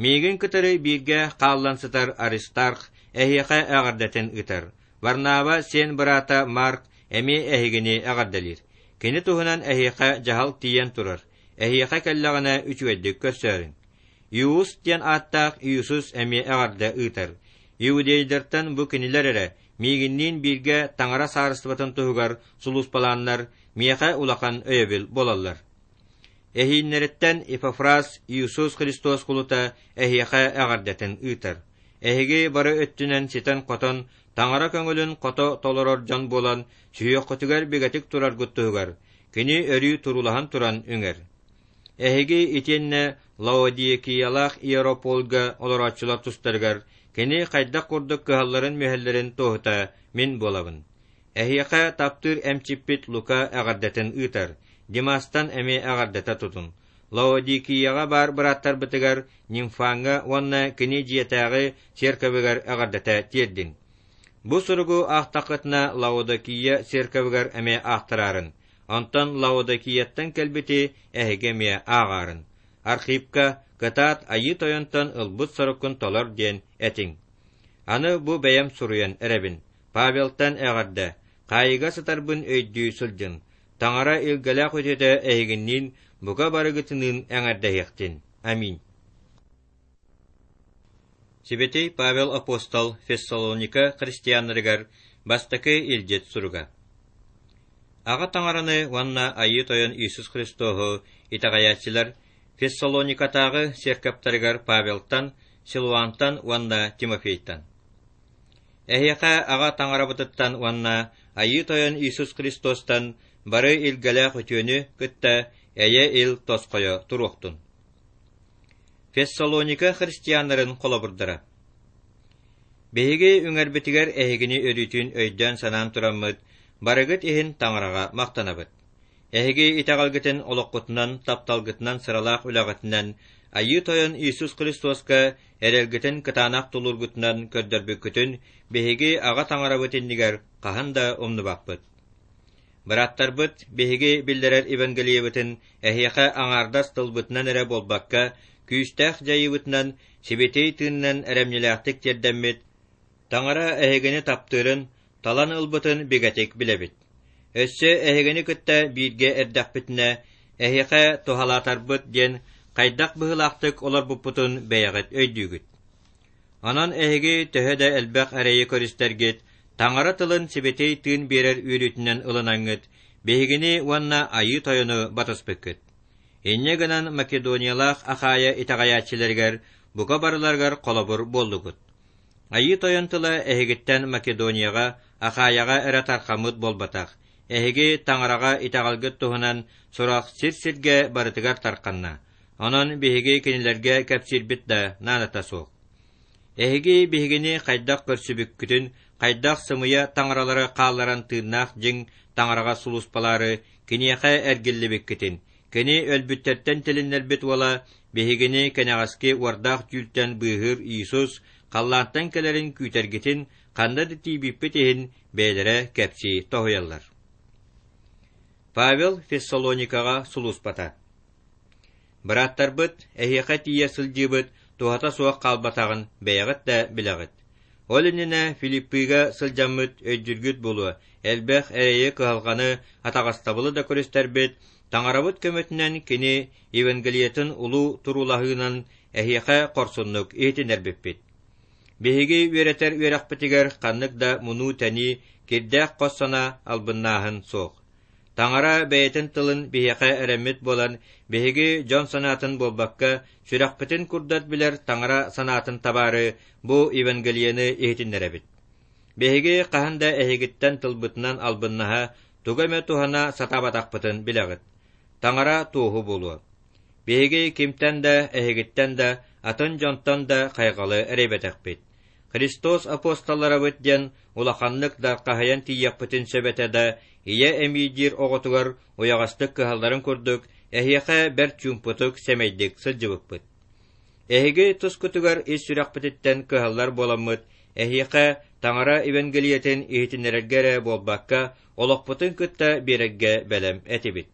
Миигин кытары бииргэ хааллан сытар Аристарх эһиэхэ эҕэрдэтин ыытар. Варнава сиэн быраата Марк эмиэ эһигини эҕэрдэлиир. Кини туһунан эһиэхэ дьаһал тиийэн турар. Эһиэхэ кэллэҕинэ үчүгэйдик көрсөөрүҥ. Иус диэн ааттаах Иисус эмиэ эҕэрдэ ыытар. Иудейдартан бу кинилэр эрэ миигинниин бииргэ Таҥара саарыстыбатын туһугар сулууспалааннар миэхэ улахан өйөбүл буолаллар. Эһииннэриттэн Епафрас Иисус Христос кулута эһиэхэ эҕэрдэтин ыытар. Эһиги бары өттүнэн ситэн-хотон, Таҥара көҥүлүн хото толорор дьон буолан, сүһүөххүтүгэр бигэтик тураргыт туһугар, Кини өрүү туруулаһан туран үҥэр. Эһиги итиэннэ Лаодикиялаах Иерополга олорооччулар тустарыгар кини хайдах курдук кыһалларын-мүһэллэрин туоһута мин буолабын. Эһиэхэ таптыыр эмчиппит Лука эҕэрдэтин ыытар, Димастан эмиэ эҕэрдэтэ тутун. Лаодикияҕа баар бырааттарбытыгар Нимфаҥҥа уонна кини дьиэтээҕи церковыгар эҕэрдэтэ тиэрдиҥ. Бу суругу аахтаххытына Лаодикия церковыгар эмиэ аахтараарын, онтон Лаодикияттан кэлбити эһиги эмиэ ааҕаарын. Архипка кытаат Айыы Тойонтон ылбыт соруккун толор диэн этиҥ. Аны бу бэйэм суруйан эрэбин. Павелтан эҕэрдэ, хаайыыга сытарбын өйдүү сылдьын. Таҥара илгэлээх үтүөтэ эһигинниин бука барыгытыныын эҥэрдэһиэхтин. Аминь. Сибэтий Павел апостол Фессалоника христианнарыгар бастакы илдьит суруга. Аҕа Таҥараны уонна Айыы Тойон Иисус Христоһу итэҕэйээччилэр Фессалоникатааҕы церковтарыгар Павелтан, Силуантан уонна Тимофейтан. Эһиэхэ Аҕа Таҥарабытыттан уонна Айыы Тойон Иисус Христостан бары илгэлээх үтүөнү кытта эйэ-ил тосхойо туруохтун. Фессалоника христианнарын холобурдара Биһиги үҥэрбитигэр эһигини өрүүтүн өйдөөн-санаан тураммыт, барыгыт иһин Таҥараҕа махтанабыт. Эһиги итэҕэлгитин олоххутунан, тапталгытынан сыралаах үлэҕитинэн Айыы Тойон Иисус Христоска эрэлгитин кытаанах тулуургутунан көрдөрбүккүтүн биһиги Аҕа Таҥарабыт иннигэр хаһан да умнубаппыт. Бырааттарбыт, биһиги биллэрэр Евангелиебытын эһиэхэ аҥаардас тылбытынан эрэ буолбакка, күүстээх дьайыыбытынан, сибэтиэй тыынынан эрэмньилээхтик тиэрдэммит, Таҥара эһигини таптыырын, талан ылбытын бигэтик билэбит. Өссө эһигини кытта бииргэ эрдэхпитинэ, эһиэхэ туһалаатарбыт диэн хайдах быһыылаахтык олорбуппутун бэйэҕит өйдүүгүт. Онон эһиги төһө да элбэх эрэйи көрүстэргит, Таҥара тылын сибэтиэй тыын биэрэр үөрүүтүнэн ылынаҥҥыт, биһигини уонна Айыы Тойону батыспыккыт. Инньэ гынан Македониялаах Ахайа итэҕэйээччилэригэр бука барыларыгар холобур буоллугут. Айыы Тойон тыла эһигиттэн Македонияҕа, Ахайаҕа эрэ тархаммыт буолбатах, эһиги Таҥараҕа итэҕэлгит туһунан сурах сир-сиргэ барытыгар тарханна, онон биһиги кинилэргэ кэпсиирбит да наадата суох. Эһиги биһигини хайдах көрсүбүккүтүн, хайдах сымыйа таҥаралары хаалларан тыыннаах дьиҥ таҥараҕа сулууспалаары киниэхэ эргиллибиккитин, Кини өлбүттэртэн тилиннэрбит уола, биһигини кэнэҕэски уордаах түүлтэн быыһыыр Иисус халлаантан кэлэрин күүтэргитин ханна да тиийбиппит иһин бэйэлэрэ кэпсии тоһуйаллар. Павел Фессалоникаҕа сулууспата. Бырааттарбыт, эһиэхэ тиийэ сылдьыыбыт туһата суох хаалбатаҕын бэйэҕит да билэҕит. Ол иннинэ Филиппыга сылдьаммыт өйдүүргүт буолуо, элбэх эрэйи-кыһалҕаны, атаҕастабылы да көрүстэрбит, Таҥарабыт көмөтүнэн кини Евангелиетын улуу туруулаһыынан эһиэхэ хорсуннук иһитиннэрбиппит. Биһиги үөрэтэр үөрэхпитигэр ханнык да мунуу-тэнии, кирдээх хос санаа, албыннааһын суох. Таҥара бэйэтин тылын биһиэхэ эрэммит буолан, биһиги дьон санаатын буолбакка, сүрэхпитин курдат билэр Таҥара санаатын табаары бу Евангелиены иһитиннэрэбит. Биһиги хаһан да эһигиттэн тылбытынан албыннаһа, тугу эмэ туһана сатаабатахпытын билэҕит. Таҥара туоһу буолуо. Биһиги кимтэн да, эһигиттэн да, атын дьонтон да хайҕалы эрэйбэтэхпит. Христос апостолларабыт диэн улаханнык да хаһыйан тиийиэхпитин сөп этэ да, ийэ эмиийдиир оҕотугар уйаҕастык кыһалларын курдук, эһиэхэ бэрт чуумпутук, сэмэйдик сылдьыбыппыт. Эһиги тускутугар ис сүрэхпититтэн кыһаллар буоламмыт, эһиэхэ Таҥара Евангелиетын иһитиннэрэргэ эрэ буолбакка, олохпутун кытта биэрэргэ бэлэм этибит.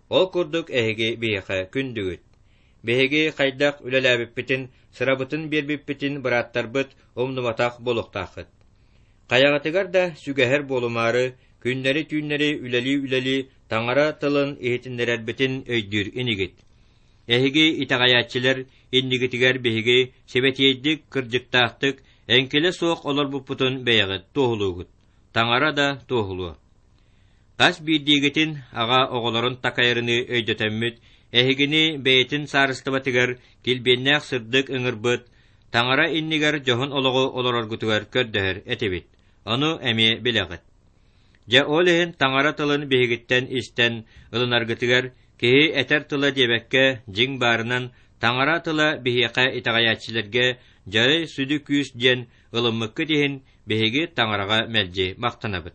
Ол курдук эһиги биһиэхэ күндүгүт. Биһиги хайдах үлэлээбиппитин, сырабытын биэрбиппитин бырааттарбыт умнубатах буолуохтааххыт. Хайаҕытыгар да сүгэһэр буолумаары, күннэри-түүннэри үлэлии-үлэлии Таҥара тылын иһитиннэрэрбитин өйдүүр инигит. Эһиги итэҕэйээччилэр иннигитигэр биһиги сибэтиэйдик, кырдьыктаахтык, эҥкилэ суох олорбуппутун бэйэҕит туоһулуугут. Таҥара да туоһулуо. Хас биирдиигитин аҕа оҕолорун такайарыныы өйдөтөммүт, эһигини бэйэтин саарыстыбатыгар килбиэннээх сырдык ыҥырбыт, Таҥара иннигэр дьоһун олоҕу олороргутугар көрдөһөр этибит, ону эмиэ билэҕит. Дьэ ол иһин Таҥара тылын биһигиттэн истэн ылынаргытыгар киһи этэр тыла диэбэккэ, дьиҥ баарынан Таҥара тыла биһиэхэ итэҕэйээччилэргэ дьарый сүдү күүс диэн ылыммыккыт иһин биһиги Таҥараҕа мэлдьи махтанабыт.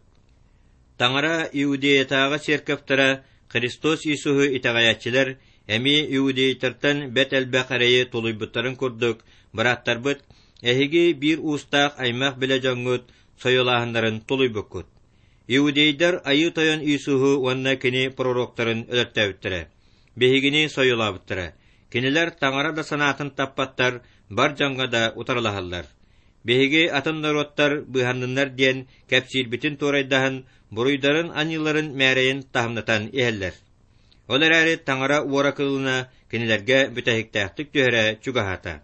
Таҥара Иудеятааҕы церковтара Христос Иисуһу итэҕэйээччилэр эмиэ иудейтартан бэрт элбэх эрэйи тулуйбуттарын курдук, бырааттарбыт, эһиги биир уустаах аймах-билэ дьоҥҥут сойуолааһыннарын тулуйбуккут. Иудейдар Айыы Тойон Иисуһу уонна кини пророктарын өлөртөөбүттэрэ, биһигини сойуолаабыттара. Кинилэр Таҥара да санаатын таппаттар, бар дьоҥҥо да утарылаһаллар. Биһиги атын норуоттар быыһанныннар диэн кэпсиирбитин туорайдаһан, буруйдарын-аньыыларын мээрэйин таһымнатан иһэллэр. Ол эрээри Таҥара уора кылына кинилэргэ бүтэһиктээхтик түһэрэ чугаһаата.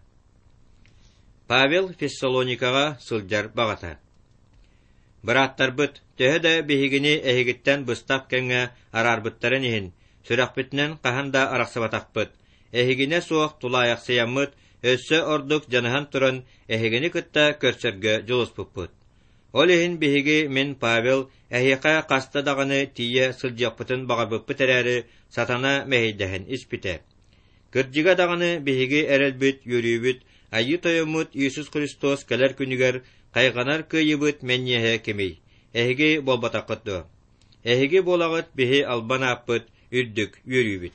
Павел Фессалоникаҕа сылдьар баҕата. Бырааттарбыт, төһө да биһигини эһигиттэн быстах кэмҥэ араарбыттарын иһин, сүрэхпитинэн хаһан да арахсыбатахпыт, Эһигинэ суох тулаайахсыйаммыт, өссө ордук дьаныһан туран эһигини кытта көрсөргө дьулуспуппут. Ол иһин биһиги мин Павел эһиэхэ хаста даҕаны тиийэ сылдьыахпытын баҕарбыппыт эрээри, сатана мэһэйдэһэн испитэ. Кырдьыга даҕаны биһиги эрэлбит, үөрүүбүт, Айыы Тойоммут Иисус Христос кэлэр күнүгэр хайҕанар кыайыыбыт мэнньиэһэ кимий? Эһиги буолбатаххыт дуо? Эһиги буолаҕыт биһи албан ааппыт, үрдүк үөрүүбүт.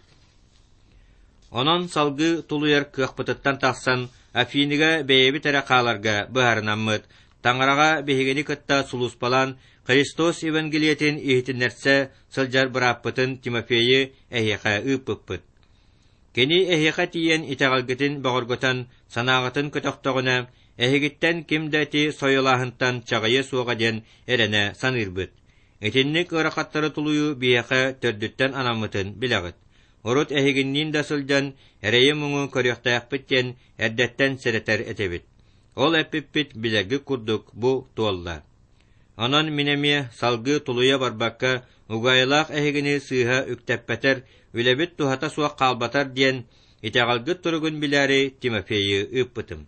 Онон салгыы тулуйар кыахпытыттан тахсан, Афиныга бэйэбит эрэ хааларга быһаарынаммыт, Таҥараҕа биһигини кытта сулууспалаан Христос Евангелиетин иһитиннэрсэ сылдьар бырааппытын Тимофейы эһиэхэ ыыппыппыт. Кини эһиэхэ тиийэн итэҕэлгитин бөҕөргөтөн, санааҕытын көтөхтөҕүнэ, эһигиттэн ким да ити сойуолааһынтан чаҕыйыа суоҕа диэн эрэнэ саныырбыт. Итинник ыарахаттары тулуйуу биһиэхэ төрдүттэн анаммытын билэҕит. Урут эһигинниин да сылдьан эрэйи-муҥу көрүөхтээхпит диэн эрдэттэн сэрэтэр этибит. Ол эппиппит билэргит курдук бу туолла. Онон мин эмиэ салгыы тулуйа барбакка, угаайылаах эһигини сыыһа үктэппэтэр, үлэбит туһата суох хаалбатар диэн, итэҕэлгит туругун билээри Тимофейы ыыппытым.